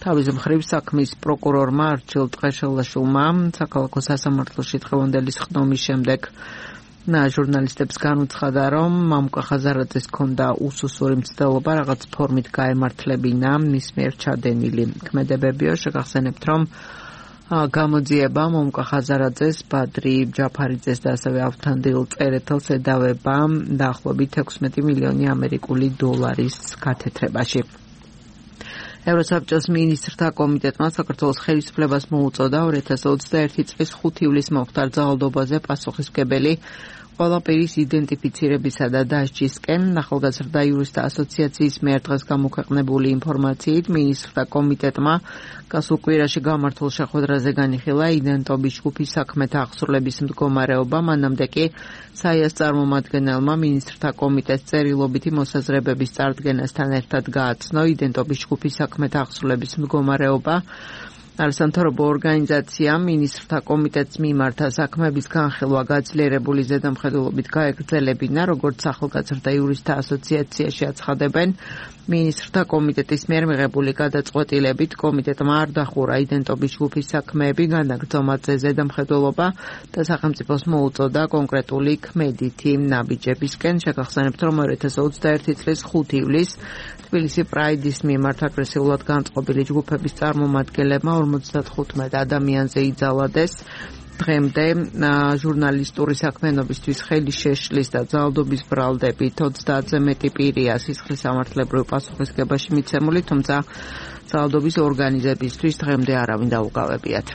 თავის მხრივ საქმის პროკურორმა არჩილ ტყეშელაშვილმა საქალაქო სასამართლოში დღევანდელი სხდომის შემდეგ ჟურნალისტებს განუცხადა, რომ მამუკა ხაზარაძეს ჰქონდა უსუსური მცდელობა რაღაც ფორმით გაემართლებინა მის მიერ ჩადენილი ქმედებებიო. შეგახსენებთ, რომ გამოძიება მამუკა ხაზარაძეს, ბადრი ჯაფარიძეს და ასევე ავთანდილ წერეთელს ედავება დაახლოებით 16 მილიონი ამერიკული დოლარის გათეთრებაში. ევროსაბჭოს მინისტრთა კომიტეტმა საქართველოს ხელისუფლებას მოუწოდა 2021 წლის 5 ივლისს მომხდარ ძალადობაზე პასუხისმგებელი ყველა პირის იდენტიფიცირებისა და დასჯისკენ ახალგაზრდა იურისტთა ასოციაციის მიერ დღეს გამოქვეყნებული ინფორმაციით მინისტრთა კომიტეტმა გასულ კვირაში გამართულ შეხვედრაზე განიხილა იდენტობის ჯგუფის საქმეთა აღსრულების მდგომარეობა, მანამდე კი საიას წარმომადგენელმა მინისტრთა კომიტეტს წერილობითი მოსაზრებების წარდგენასთან ერთად გააცნო იდენტობის ჯგუფის საქმეთა აღსრულების მდგომარეობა. არასამთავრობო ორგანიზაციამ მინისტრთა კომიტეტს მიმართა საქმეების განხილვა გაძლიერებული ზედამხედველობით გაეგრძელებინა, როგორც ახალგაზრდა იურისტთა ასოციაციაში აცხადებენ. მინისტრთა კომიტეტის მიერ მიღებული გადაწყვეტილებით კომიტეტმა არ დახურა იდენტობის ჯგუფის საქმეები, განაგრძო მათზე ზედამხედველობა და სახელმწიფოს მოუწოდა კონკრეტული ქმედითი ნაბიჯებისკენ. შეგახსენებთ, რომ 2021 წლის 5 ივლისს თბილისი პრაიდის მიმართ აგრესიულად განწყობილი ჯგუფების წარმომადგენლებმა 55 ადამიანზე იძალადეს. დღემდე ჟურნალისტური საქმიანობისთვის ხელი შეშლის და ძალადობის ბრალდებით 30-ზე მეტი პირია სისხლის სამართლებრივ პასუხისგებაში მიცემული, თუმცა ძალადობის ორგანიზებისთვის დღემდე არავინ დაუგავებიათ.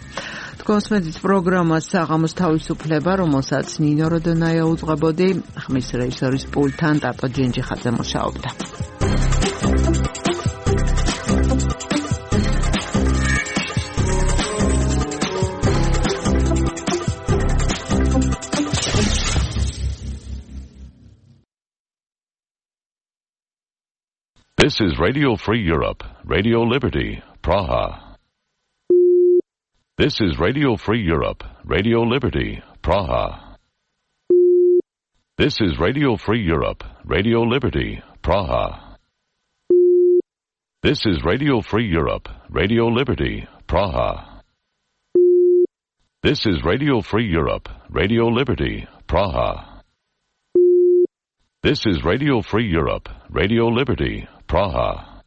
თქვენს პროგრამას საღამოს თავისუფლება, რომელსაც ნინო როდონაია უძღვებოდი, ხმის რეჟისორის პულტთან ტატო ჯენჯიხაძე მუშაობდა. This is Radio Free Europe, Radio Liberty, Praha. This is Radio Free Europe, Radio Liberty, Praha. This is Radio Free Europe, Radio Liberty, Praha. This is Radio Free Europe, Radio Liberty, Praha. This is Radio Free Europe, Radio Liberty, Praha. This is Radio Free Europe, Radio Liberty, Praha.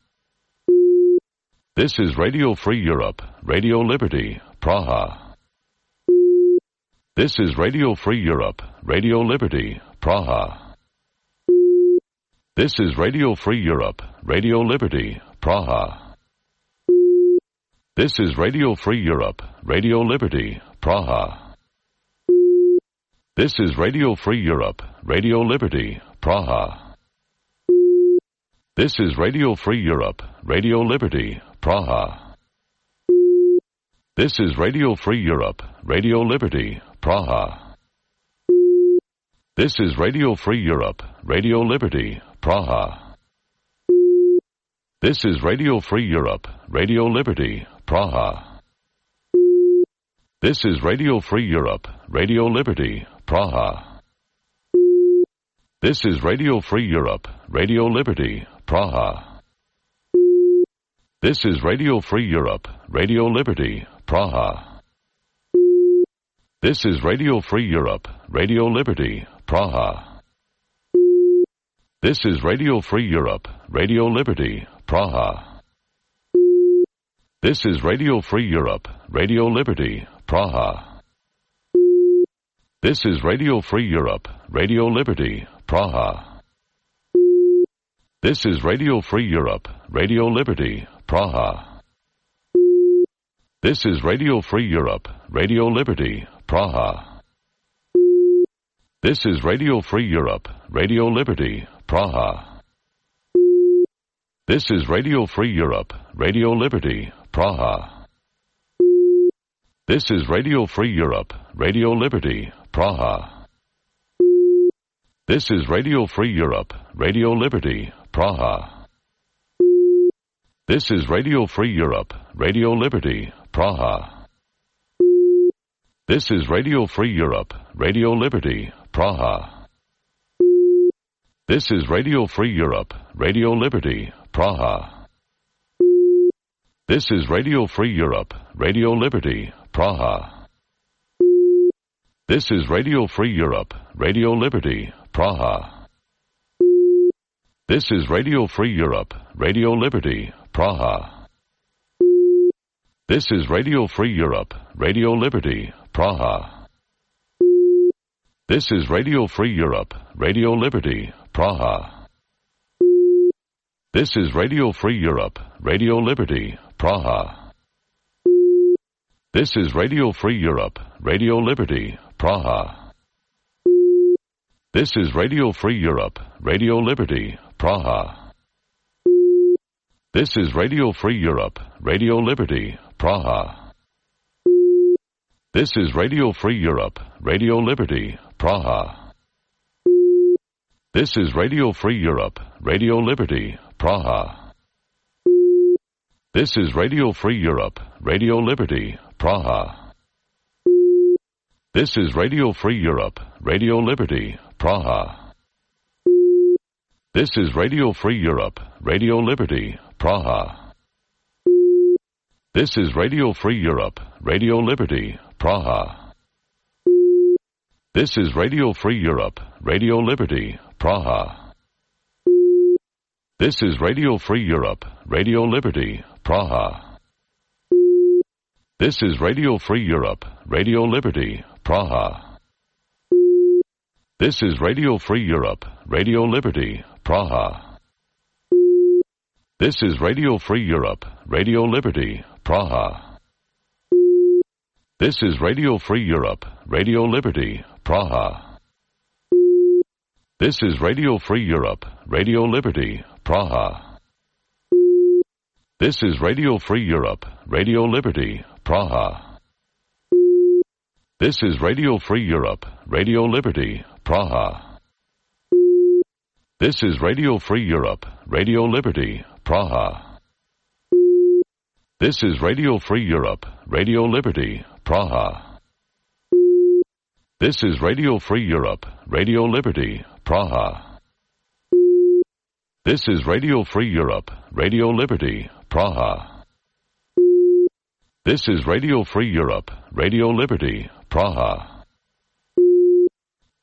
This is Radio Free Europe, Radio Liberty, Praha. This is Radio Free Europe, Radio Liberty, Praha. This is Radio Free Europe, Radio Liberty, Praha. This is Radio Free Europe, Radio Liberty, Praha. This is Radio Free Europe, Radio Liberty, Praha. This is Radio Free Europe, Radio Liberty, Praha. This is Radio Free Europe, Radio Liberty, Praha. This is Radio Free Europe, Radio Liberty, Praha. This is Radio Free Europe, Radio Liberty, Praha. This is Radio Free Europe, Radio Liberty, Praha. This is Radio Free Europe, Radio Liberty, Praha. This is Radio Free Europe, Radio Liberty, Praha. This is Radio Free Europe, Radio Liberty, Praha. This is Radio Free Europe, Radio Liberty, Praha. This is Radio Free Europe, Radio Liberty, Praha. This is Radio Free Europe, Radio Liberty, Praha. This is Radio Free Europe, Radio Liberty, Praha. This is Radio Free Europe, Radio Liberty, Praha. This is Radio Free Europe, Radio Liberty, Praha. This is Radio Free Europe, Radio Liberty, Praha. This is Radio Free Europe, Radio Liberty, Praha. This is Radio Free Europe, Radio Liberty, Praha. This is Radio Free Europe, Radio Liberty, Praha. This is Radio Free Europe, Radio Liberty, Praha. This is Radio Free Europe, Radio Liberty, Praha. This is Radio Free Europe, Radio Liberty, Praha. This is Radio Free Europe, Radio Liberty, Praha. This is Radio Free Europe, Radio Liberty, Praha. This is Radio Free Europe, Radio Liberty, Praha. This is Radio Free Europe, Radio Liberty, Praha. This is Radio Free Europe, Radio Liberty, Praha. This is Radio Free Europe, Radio Liberty, Praha. This is Radio Free Europe, Radio Liberty, Praha. This is Radio Free Europe, Radio Liberty, Praha. This is Radio Free Europe, Radio Liberty, Praha. This is Radio Free Europe, Radio Liberty, Praha. This is Radio Free Europe, Radio Liberty, Praha. This is Radio Free Europe, Radio Liberty, Praha. This is Radio Free Europe, Radio Liberty, Praha. This is Radio Free Europe, Radio Liberty, Praha. This is Radio Free Europe, Radio Liberty, Praha. This is Radio Free Europe, Radio Liberty, Praha. This is Radio Free Europe, Radio Liberty, Praha. This is Radio Free Europe, Radio Liberty, Praha. This is Radio Free Europe, Radio Liberty, Praha. This is Radio Free Europe, Radio Liberty, Praha. This is Radio Free Europe, Radio Liberty, Praha. This is Radio Free Europe, Radio Liberty, Praha. This is Radio Free Europe, Radio Liberty, Praha. This is Radio Free Europe, Radio Liberty, Praha. This is Radio Free Europe, Radio Liberty, Praha. This is Radio Free Europe, Radio Liberty, Praha. This is Radio Free Europe, Radio Liberty, Praha. This is Radio Free Europe, Radio Liberty, Praha.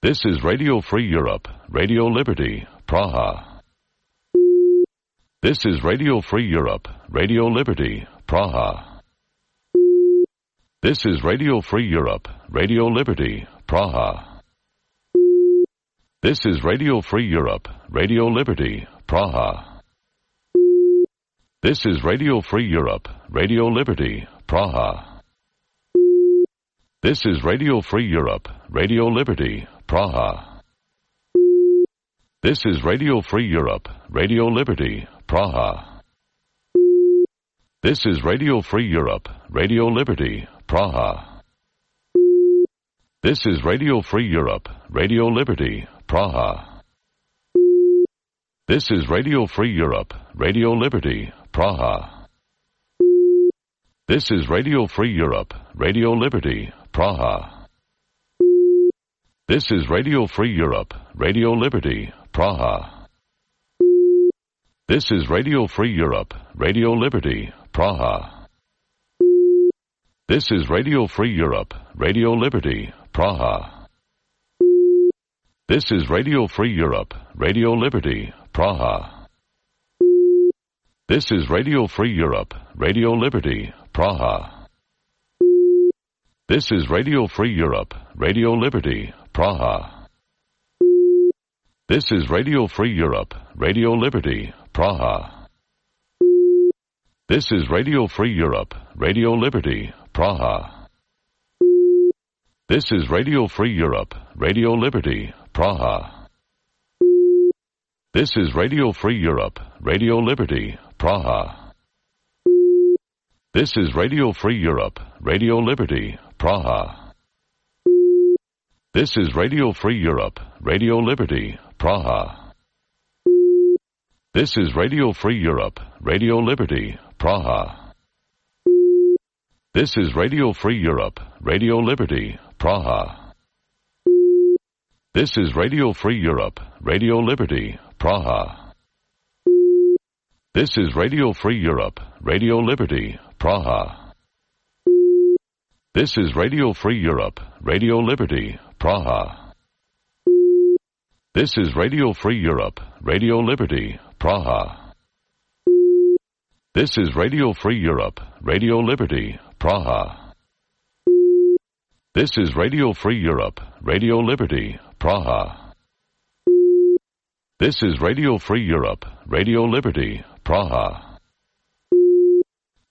This is Radio Free Europe, Radio Liberty, Praha. This is Radio Free Europe, Radio Liberty, Praha. This is Radio Free Europe, Radio Liberty, Praha. This is Radio Free Europe, Radio Liberty, Praha. This is Radio Free Europe, Radio Liberty, Praha. This is Radio Free Europe, Radio Liberty, Praha. This is Radio Free Europe, Radio Liberty, Praha. This is Radio Free Europe, Radio Liberty, Praha. This is Radio Free Europe, Radio Liberty, Praha. This is Radio Free Europe, Radio Liberty, Praha. This is Radio Free Europe, Radio Liberty, Praha. This is Radio Free Europe, Radio Liberty, Praha. This is Radio Free Europe, Radio Liberty, Praha. This is Radio Free Europe, Radio Liberty, Praha. This is Radio Free Europe, Radio Liberty, Praha. This is Radio Free Europe, Radio Liberty, Praha. This is Radio Free Europe, Radio Liberty, Praha. This is Radio Free Europe, Radio Liberty, Praha. This is Radio Free Europe, Radio Liberty, Praha. This is Radio Free Europe, Radio Liberty, Praha. This is Radio Free Europe, Radio Liberty, Praha. This is Radio Free Europe, Radio Liberty, Praha. This is Radio Free Europe, Radio Liberty, Praha. This is Radio Free Europe, Radio Liberty, Praha. This is Radio Free Europe, Radio Liberty, Praha. This is Radio Free Europe, Radio Liberty, Praha. This is Radio Free Europe, Radio Liberty, Praha. This is Radio Free Europe, Radio Liberty, Praha. This is Radio Free Europe, Radio Liberty, Praha. This is Radio Free Europe, Radio Liberty, Praha. This is Radio Free Europe, Radio Liberty, Praha. This is Radio Free Europe, Radio Liberty, Praha.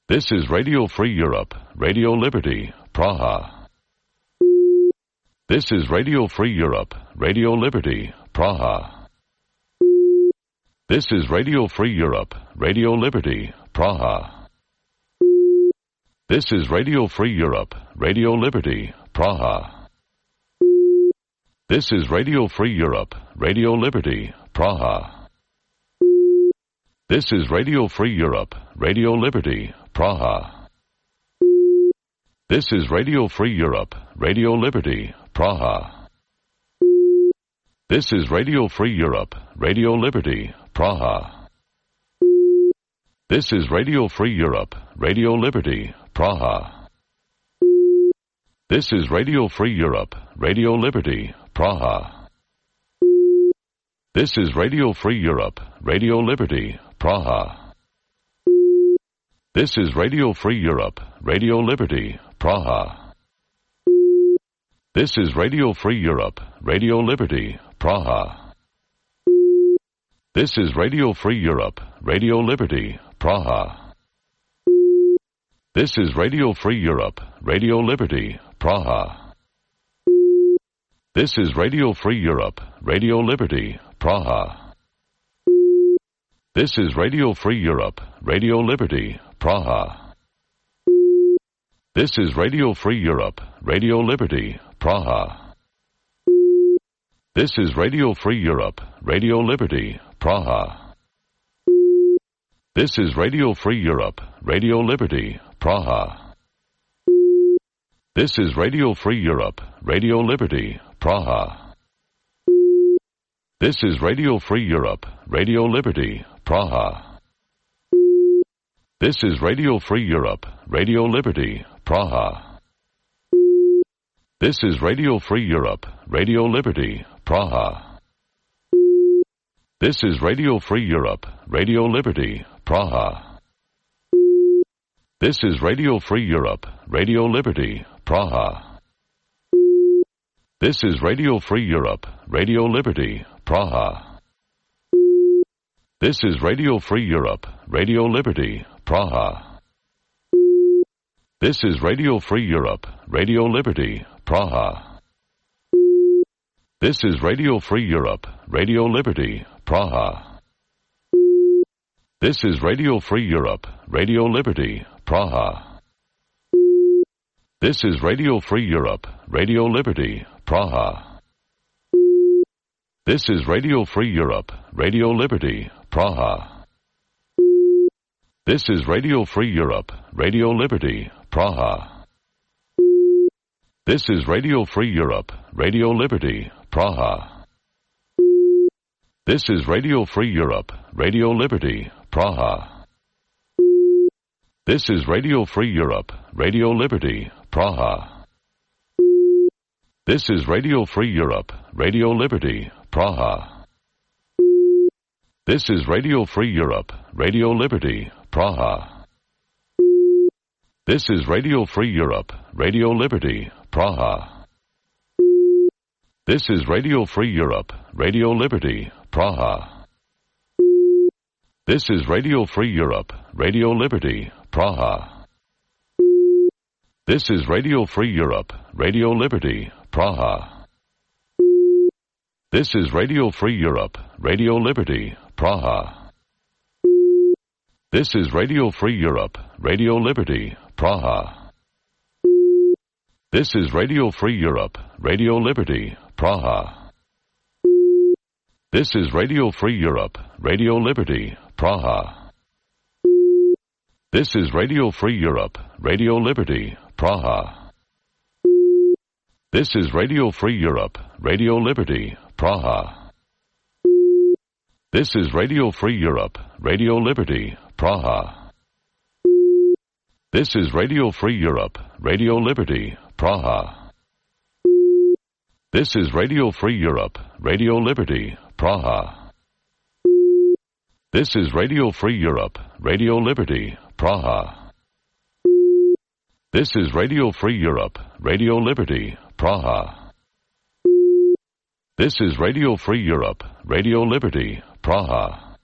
This is Radio Free Europe, Radio Liberty, Praha. This is Radio Free Europe, Radio Liberty, Praha. This is Radio Free Europe, Radio Liberty, Praha. This is Radio Free Europe, Radio Liberty, Praha. This is Radio Free Europe, Radio Liberty, Praha. This is Radio Free Europe, Radio Liberty, Praha. This is Radio Free Europe, Radio Liberty, Praha. This is Radio Free Europe, Radio Liberty, Praha. This is Radio Free Europe, Radio Liberty, Praha. This is Radio Free Europe, Radio Liberty, Praha. This is Radio Free Europe, Radio Liberty, Praha. This is Radio Free Europe, Radio Liberty, Praha. This is Radio Free Europe, Radio Liberty, Praha. This is Radio Free Europe, Radio Liberty, Praha. This is Radio Free Europe, Radio Liberty, Praha. This is Radio Free Europe, Radio Liberty, Praha. This is Radio Free Europe, Radio Liberty, Praha. This is Radio Free Europe, Radio Liberty, Praha. This is Radio Free Europe, Radio Liberty, Praha. This is Radio Free Europe, Radio Liberty, Praha. This is Radio Free Europe, Radio Liberty, Praha. This is Radio Free Europe, Radio Liberty, Praha. This is Radio Free Europe, Radio Liberty, Praha. This is Radio Free Europe, Radio Liberty, Praha. This is Radio Free Europe, Radio Liberty, Praha. This is Radio Free Europe, Radio Liberty, Praha. This is Radio Free Europe, Radio Liberty, Praha. This is Radio Free Europe, Radio Liberty, Praha. This is Radio Free Europe, Radio Liberty, Praha. This is Radio Free Europe, Radio Liberty, Praha. This is Radio Free Europe, Radio Liberty, Praha. This is Radio Free Europe, Radio Liberty, Praha. This is Radio Free Europe, Radio Liberty, Praha. This is Radio Free Europe, Radio Liberty, Praha. This is Radio Free Europe, Radio Liberty, Praha. This is Radio Free Europe, Radio Liberty, Praha. This is Radio Free Europe, Radio Liberty, Praha. This is Radio Free Europe, Radio Liberty, Praha. This is Radio Free Europe, Radio Liberty, Praha. This is Radio Free Europe, Radio Liberty, Praha. This is Radio Free Europe, Radio Liberty, Praha. This is Radio Free Europe, Radio Liberty, Praha. This is Radio Free Europe, Radio Liberty, Praha. This is Radio Free Europe, Radio Liberty, Praha. This is Radio Free Europe, Radio Liberty, Praha. This is Radio Free Europe, Radio Liberty, Praha. This is Radio Free Europe, Radio Liberty, Praha. This is Radio Free Europe, Radio Liberty, Praha. This is Radio Free Europe, Radio Liberty, Praha. This is Radio Free Europe, Radio Liberty, Praha. This is Radio Free Europe, Radio Liberty, Praha. This is Radio Free Europe, Radio Liberty, Praha. This is Radio Free Europe, Radio Liberty, Praha. This is Radio Free Europe, Radio Liberty, Praha. This is Radio Free Europe, Radio Liberty, Praha.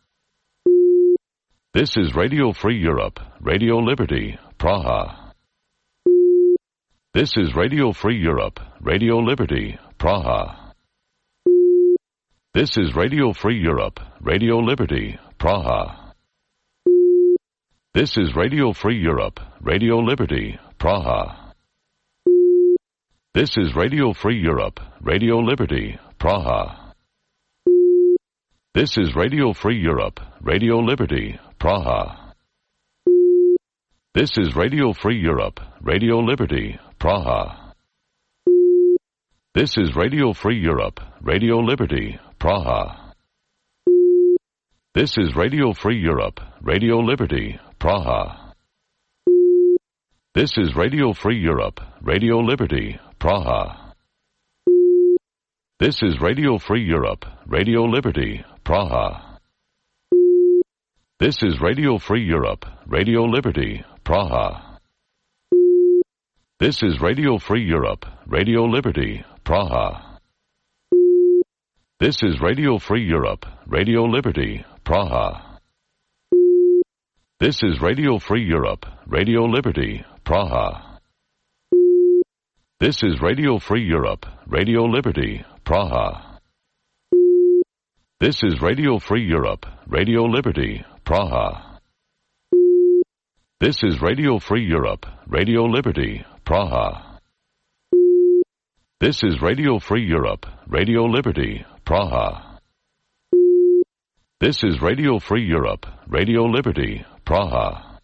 This is Radio Free Europe, Radio Liberty, Praha. This is Radio Free Europe, Radio Liberty, Praha. This is Radio Free Europe, Radio Liberty, Praha. This is Radio Free Europe, Radio Liberty, Praha. This is Radio Free Europe, Radio Liberty, Praha. This is Radio Free Europe, Radio Liberty, Praha. This is Radio Free Europe, Radio Liberty, Praha. This is Radio Free Europe, Radio Liberty, Praha. This is Radio Free Europe, Radio Liberty, Praha. This is Radio Free Europe, Radio Liberty, Praha. This is Radio Free Europe, Radio Liberty, Praha. This is Radio Free Europe, Radio Liberty, Praha. This is Radio Free Europe, Radio Liberty, Praha. This is Radio Free Europe, Radio Liberty, Praha. This is Radio Free Europe, Radio Liberty, Praha. This is Radio Free Europe, Radio Liberty, Praha. This is Radio Free Europe, Radio Liberty, Praha. This is Radio Free Europe, Radio Liberty, Praha. This is Radio Free Europe, Radio Liberty, Praha. This is Radio Free Europe, Radio Liberty, Praha.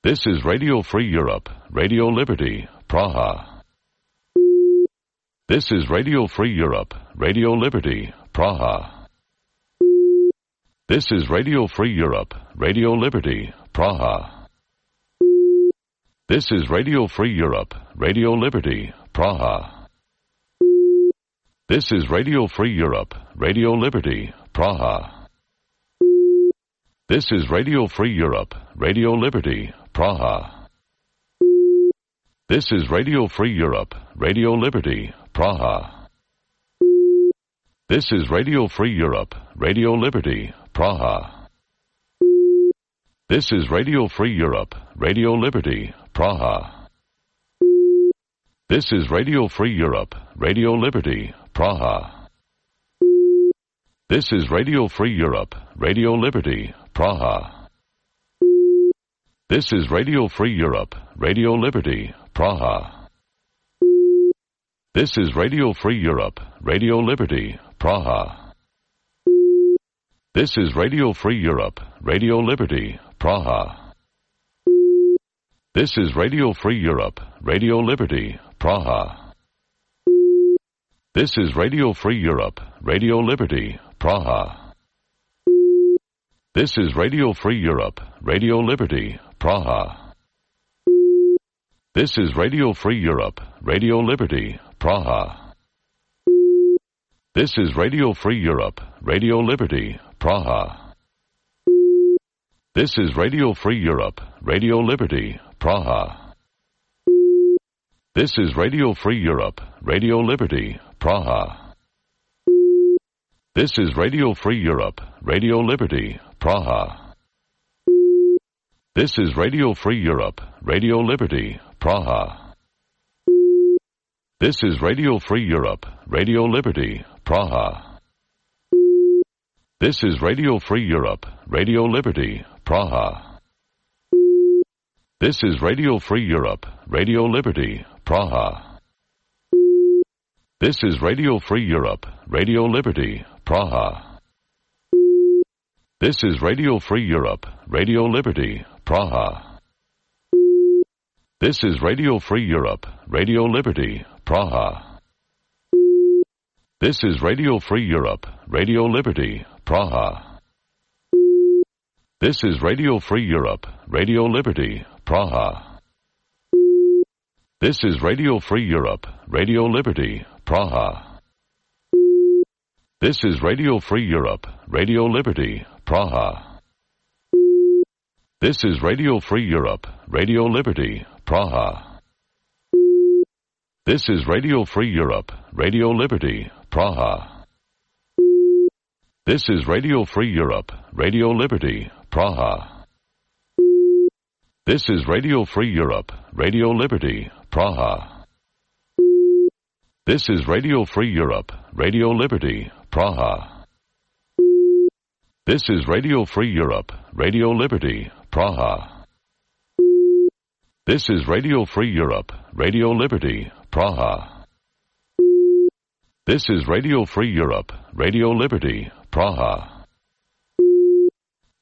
This is Radio Free Europe, Radio Liberty, Praha. This is Radio Free Europe, Radio Liberty, Praha. This is Radio Free Europe, Radio Liberty, Praha. This is Radio Free Europe, Radio Liberty, Praha. This is Radio Free Europe, Radio Liberty, Praha. This is Radio Free Europe, Radio Liberty, Praha. This is Radio Free Europe, Radio Liberty, Praha. This is Radio Free Europe, Radio Liberty, Praha. This is Radio Free Europe, Radio Liberty, Praha. This is Radio Free Europe, Radio Liberty, Praha. This is Radio Free Europe, Radio Liberty, Praha. This is Radio Free Europe, Radio Liberty, Praha. This is Radio Free Europe, Radio Liberty, Praha. This is Radio Free Europe, Radio Liberty, Praha. This is Radio Free Europe, Radio Liberty, Praha. This is Radio Free Europe, Radio Liberty, Praha. This is Radio Free Europe, Radio Liberty, Praha. This is Radio Free Europe, Radio Liberty, Praha. This is Radio Free Europe, Radio Liberty, Praha. This is Radio Free Europe, Radio Liberty, Praha. This is Radio Free Europe, Radio Liberty, Praha. This is Radio Free Europe, Radio Liberty, Praha. This is Radio Free Europe, Radio Liberty, Praha. This is Radio Free Europe, Radio Liberty, Praha. This is Radio Free Europe, Radio Liberty, Praha. This is Radio Free Europe, Radio Liberty, Praha. This is Radio Free Europe, Radio Liberty, Praha. This is Radio Free Europe, Radio Liberty, Praha. This is Radio Free Europe, Radio Liberty, Praha. This is Radio Free Europe, Radio Liberty, Praha. This is Radio Free Europe, Radio Liberty, Praha. This is Radio Free Europe, Radio Liberty, Praha. This is Radio Free Europe, Radio Liberty, Praha. This is Radio Free Europe, Radio Liberty, Praha. This is Radio Free Europe, Radio Liberty, Praha. This is Radio Free Europe, Radio Liberty, Praha. This is Radio Free Europe, Radio Liberty, Praha. This is Radio Free Europe, Radio Liberty, Praha. This is Radio Free Europe, Radio Liberty, Praha. This is Radio Free Europe, Radio Liberty, Praha. This is Radio Free Europe, Radio Liberty, Praha.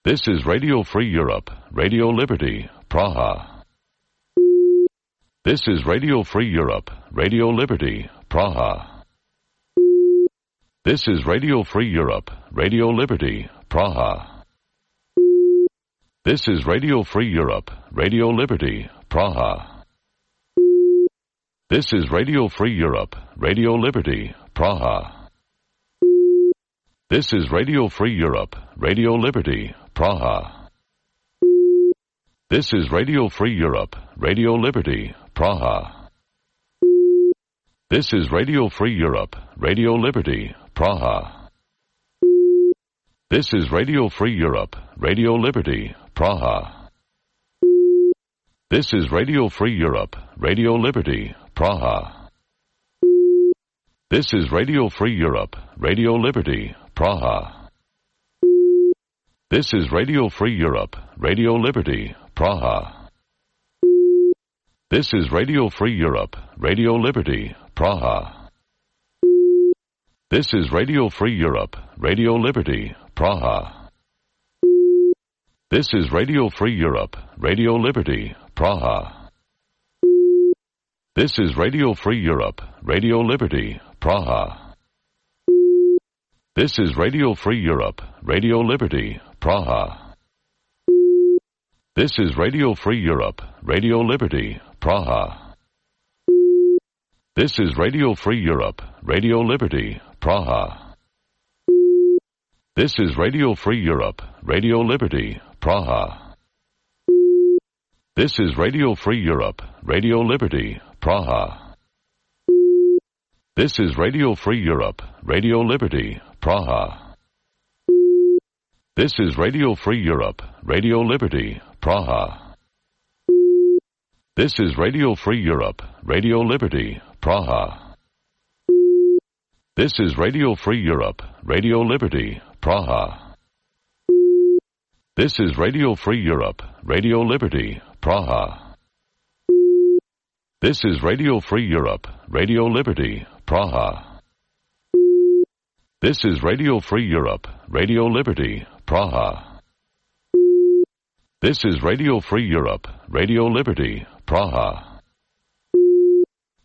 This is Radio Free Europe, Radio Liberty, Praha. This is Radio Free Europe, Radio Liberty, Praha. This is Radio Free Europe, Radio Liberty, Praha. This is Radio Free Europe, Radio Liberty, Praha. This is Radio Free Europe, Radio Liberty, Praha. This is Radio Free Europe, Radio Liberty, Praha. This is Radio Free Europe, Radio Liberty, Praha. This is Radio Free Europe, Radio Liberty, Praha. This is Radio Free Europe, Radio Liberty, Praha. This is Radio Free Europe, Radio Liberty, Praha. This is Radio Free Europe, Radio Liberty, Praha. This is Radio Free Europe, Radio Liberty, Praha. This is Radio Free Europe, Radio Liberty, Praha. This is Radio Free Europe, Radio Liberty, Praha. This is Radio Free Europe, Radio Liberty, Praha. This is Radio Free Europe, Radio Liberty, Praha. This is Radio Free Europe, Radio Liberty, Praha. This is Radio Free Europe, Radio Liberty, Praha. This is Radio Free Europe, Radio Liberty, Praha. This is Radio Free Europe, Radio Liberty, Praha. This is Radio Free Europe, Radio Liberty, Praha. This is Radio Free Europe, Radio Liberty, Praha. This is Radio Free Europe, Radio Liberty, Praha. This is Radio Free Europe, Radio Liberty, Praha. This is Radio Free Europe, Radio Liberty, Praha. This is Radio Free Europe, Radio Liberty, Praha. This is Radio Free Europe, Radio Liberty, Praha. This is Radio Free Europe, Radio Liberty, Praha. This is Radio Free Europe, Radio Liberty, Praha.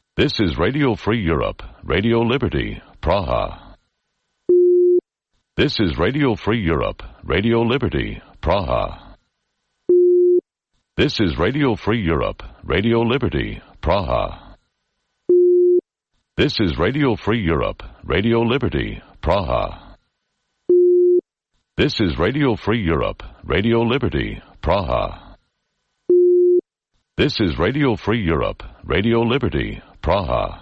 This is Radio Free Europe, Radio Liberty, Praha. This is Radio Free Europe, Radio Liberty, Praha. This is Radio Free Europe, Radio Liberty, Praha. This is Radio Free Europe, Radio Liberty, Praha. This is Radio Free Europe, Radio Liberty, Praha. This is Radio Free Europe, Radio Liberty, Praha.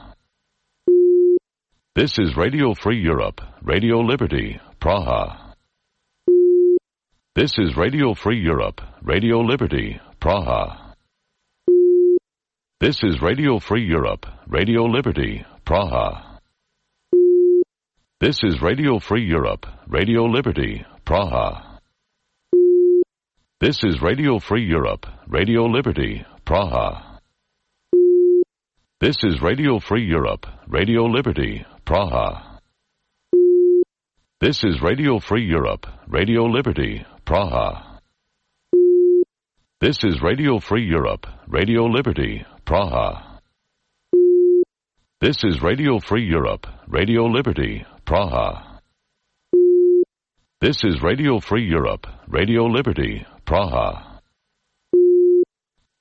This is Radio Free Europe, Radio Liberty, Praha. This is Radio Free Europe, Radio Liberty, Praha. This is Radio Free Europe, Radio Liberty, Praha. This is Radio Free Europe, Radio Liberty, Praha. This is Radio Free Europe, Radio Liberty, Praha. This is Radio Free Europe, Radio Liberty, Praha. This is Radio Free Europe, Radio Liberty, Praha. This is Radio Free Europe, Radio Liberty, Praha. This is Radio Free Europe, Radio Liberty, Praha. This is Radio Free Europe, Radio Liberty, Praha.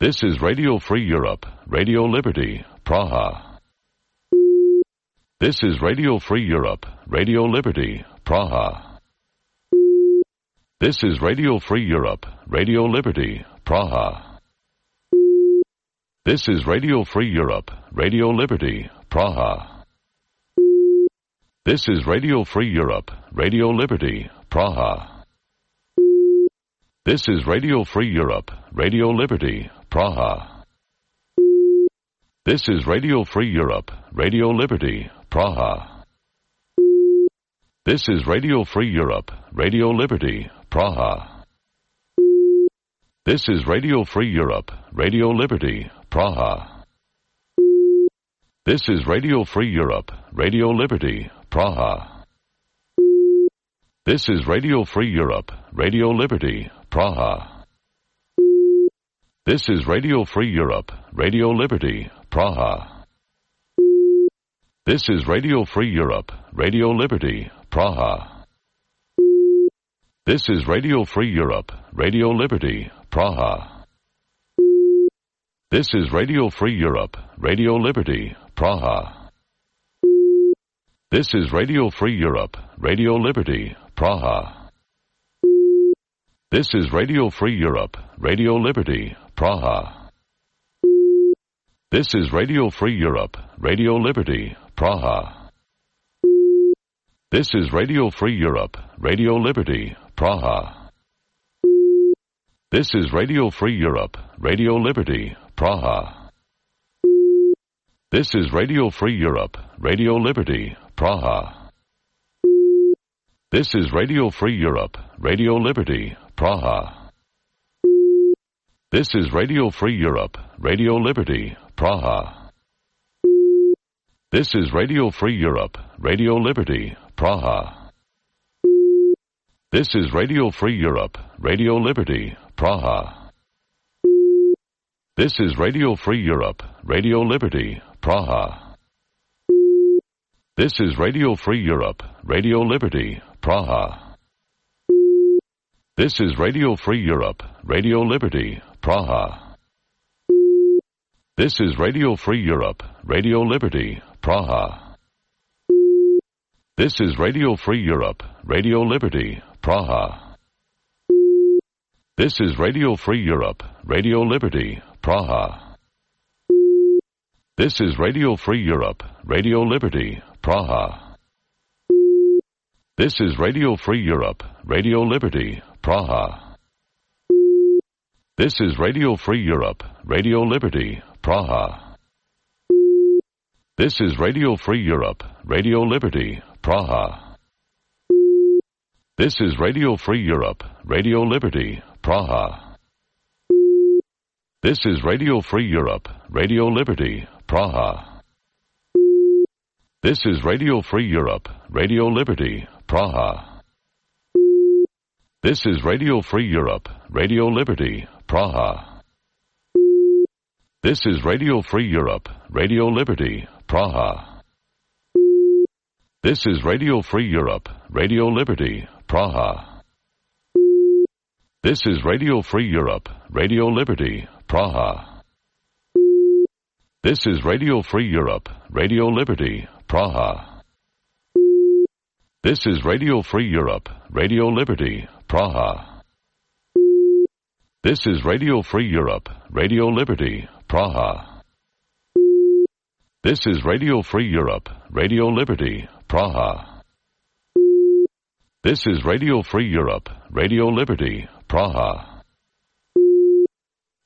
This is Radio Free Europe, Radio Liberty, Praha. This is Radio Free Europe, Radio Liberty, Praha. This is Radio Free Europe, Radio Liberty, Praha. This is Radio Free Europe, Radio Liberty, Praha. This is Radio Free Europe, Radio Liberty, Praha. This is Radio Free Europe, Radio Liberty, Praha. This is Radio Free Europe, Radio Liberty, Praha. This is Radio Free Europe, Radio Liberty, Praha. This is Radio Free Europe, Radio Liberty, Praha. This is Radio Free Europe, Radio Liberty, Praha. This is Radio Free Europe, Radio Liberty, Praha. This is Radio Free Europe, Radio Liberty, Praha. This is Radio Free Europe, Radio Liberty, Praha. This is Radio Free Europe, Radio Liberty, Praha. This is Radio Free Europe, Radio Liberty, Praha. This is Radio Free Europe, Radio Liberty, Praha. This is Radio Free Europe, Radio Liberty, Praha. This is Radio Free Europe, Radio Liberty, Praha. This is Radio Free Europe, Radio Liberty, Praha. This is Radio Free Europe, Radio Liberty, Praha. This is Radio Free Europe, Radio Liberty, Praha. This is Radio Free Europe, Radio Liberty, Praha. This is Radio Free Europe, Radio Liberty, Praha. This is Radio Free Europe, Radio Liberty, Praha. This is Radio Free Europe, Radio Liberty, Praha. This is Radio Free Europe, Radio Liberty, Praha. This is Radio Free Europe, Radio Liberty, Praha. This is Radio Free Europe, Radio Liberty, Praha. This is Radio Free Europe, Radio Liberty, Praha. This is Radio Free Europe, Radio Liberty, Praha. This is Radio Free Europe, Radio Liberty, Praha. This is Radio Free Europe, Radio Liberty, Praha. This is Radio Free Europe, Radio Liberty, Praha. This is Radio Free Europe, Radio Liberty, Praha. This is Radio Free Europe, Radio Liberty, Praha. This is Radio Free Europe, Radio Liberty, Praha. This is Radio Free Europe, Radio Liberty, Praha. This is Radio Free Europe, Radio Liberty, Praha. This is Radio Free Europe, Radio Liberty, Praha. This is Radio Free Europe, Radio Liberty, Praha. This is Radio Free Europe, Radio Liberty, Praha. This is Radio Free Europe, Radio Liberty, Praha. This is Radio Free Europe, Radio Liberty, Praha. This is Radio Free Europe, Radio Liberty, Praha. This is Radio Free Europe, Radio Liberty, Praha. This is Radio Free Europe, Radio Liberty, Praha. This is Radio Free Europe, Radio Liberty, Praha.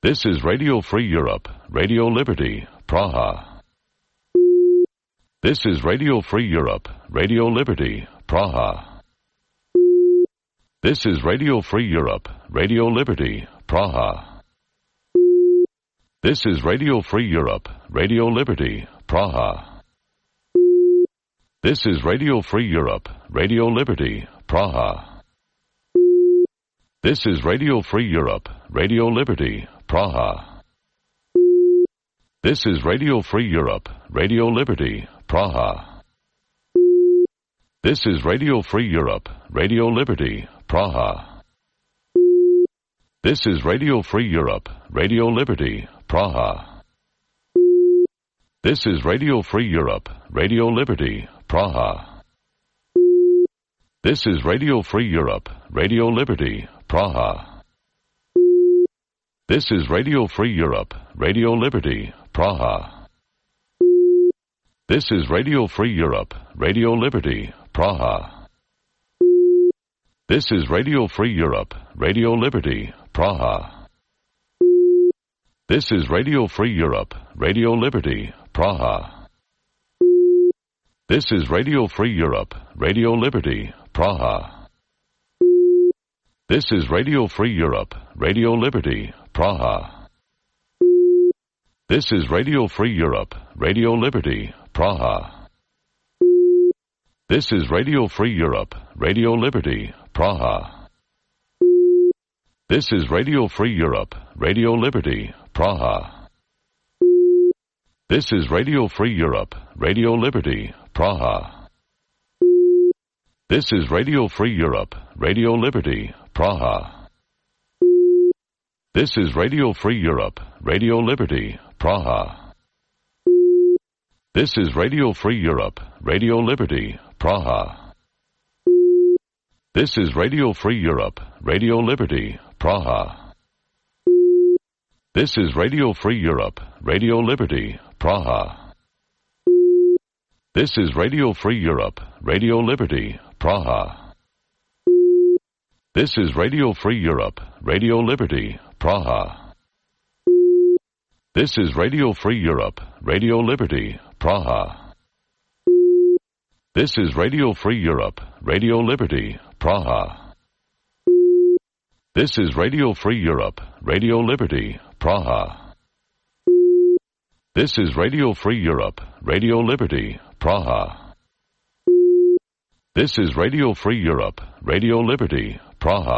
This is Radio Free Europe, Radio Liberty, Praha. This is Radio Free Europe, Radio Liberty, Praha. This is Radio Free Europe, Radio Liberty, Praha. This is Radio Free Europe, Radio Liberty, Praha. This is Radio Free Europe, Radio Liberty, Praha. This is Radio Free Europe, Radio Liberty, Praha. This is Radio Free Europe, Radio Liberty, Praha. This is Radio Free Europe, Radio Liberty, Praha. This is Radio Free Europe, Radio Liberty, Praha. This is Radio Free Europe, Radio Liberty, Praha. This is Radio Free Europe, Radio Liberty, Praha. This is Radio Free Europe, Radio Liberty, Praha. This is Radio Free Europe, Radio Liberty, Praha. This is Radio Free Europe, Radio Liberty, Praha. This is Radio Free Europe, Radio Liberty, Praha. This is Radio Free Europe, Radio Liberty, Praha. This is Radio Free Europe, Radio Liberty, Praha. This is Radio Free Europe, Radio Liberty, Praha. This is Radio Free Europe, Radio Liberty, Praha. This is Radio Free Europe, Radio Liberty, Praha. This is Radio Free Europe, Radio Liberty, Praha. This is Radio Free Europe, Radio Liberty, Praha. This is Radio Free Europe, Radio Liberty, Praha. This is Radio Free Europe, Radio Liberty, Praha. This is Radio Free Europe, Radio Liberty, Praha. This is Radio Free Europe, Radio Liberty, Praha. This is Radio Free Europe, Radio Liberty, Praha. This is Radio Free Europe, Radio Liberty, Praha. This is Radio Free Europe, Radio Liberty, Praha. This is Radio Free Europe, Radio Liberty, Praha. This is Radio Free Europe, Radio Liberty, Praha. This is Radio Free Europe, Radio Liberty, Praha. This is Radio Free Europe, Radio Liberty, Praha.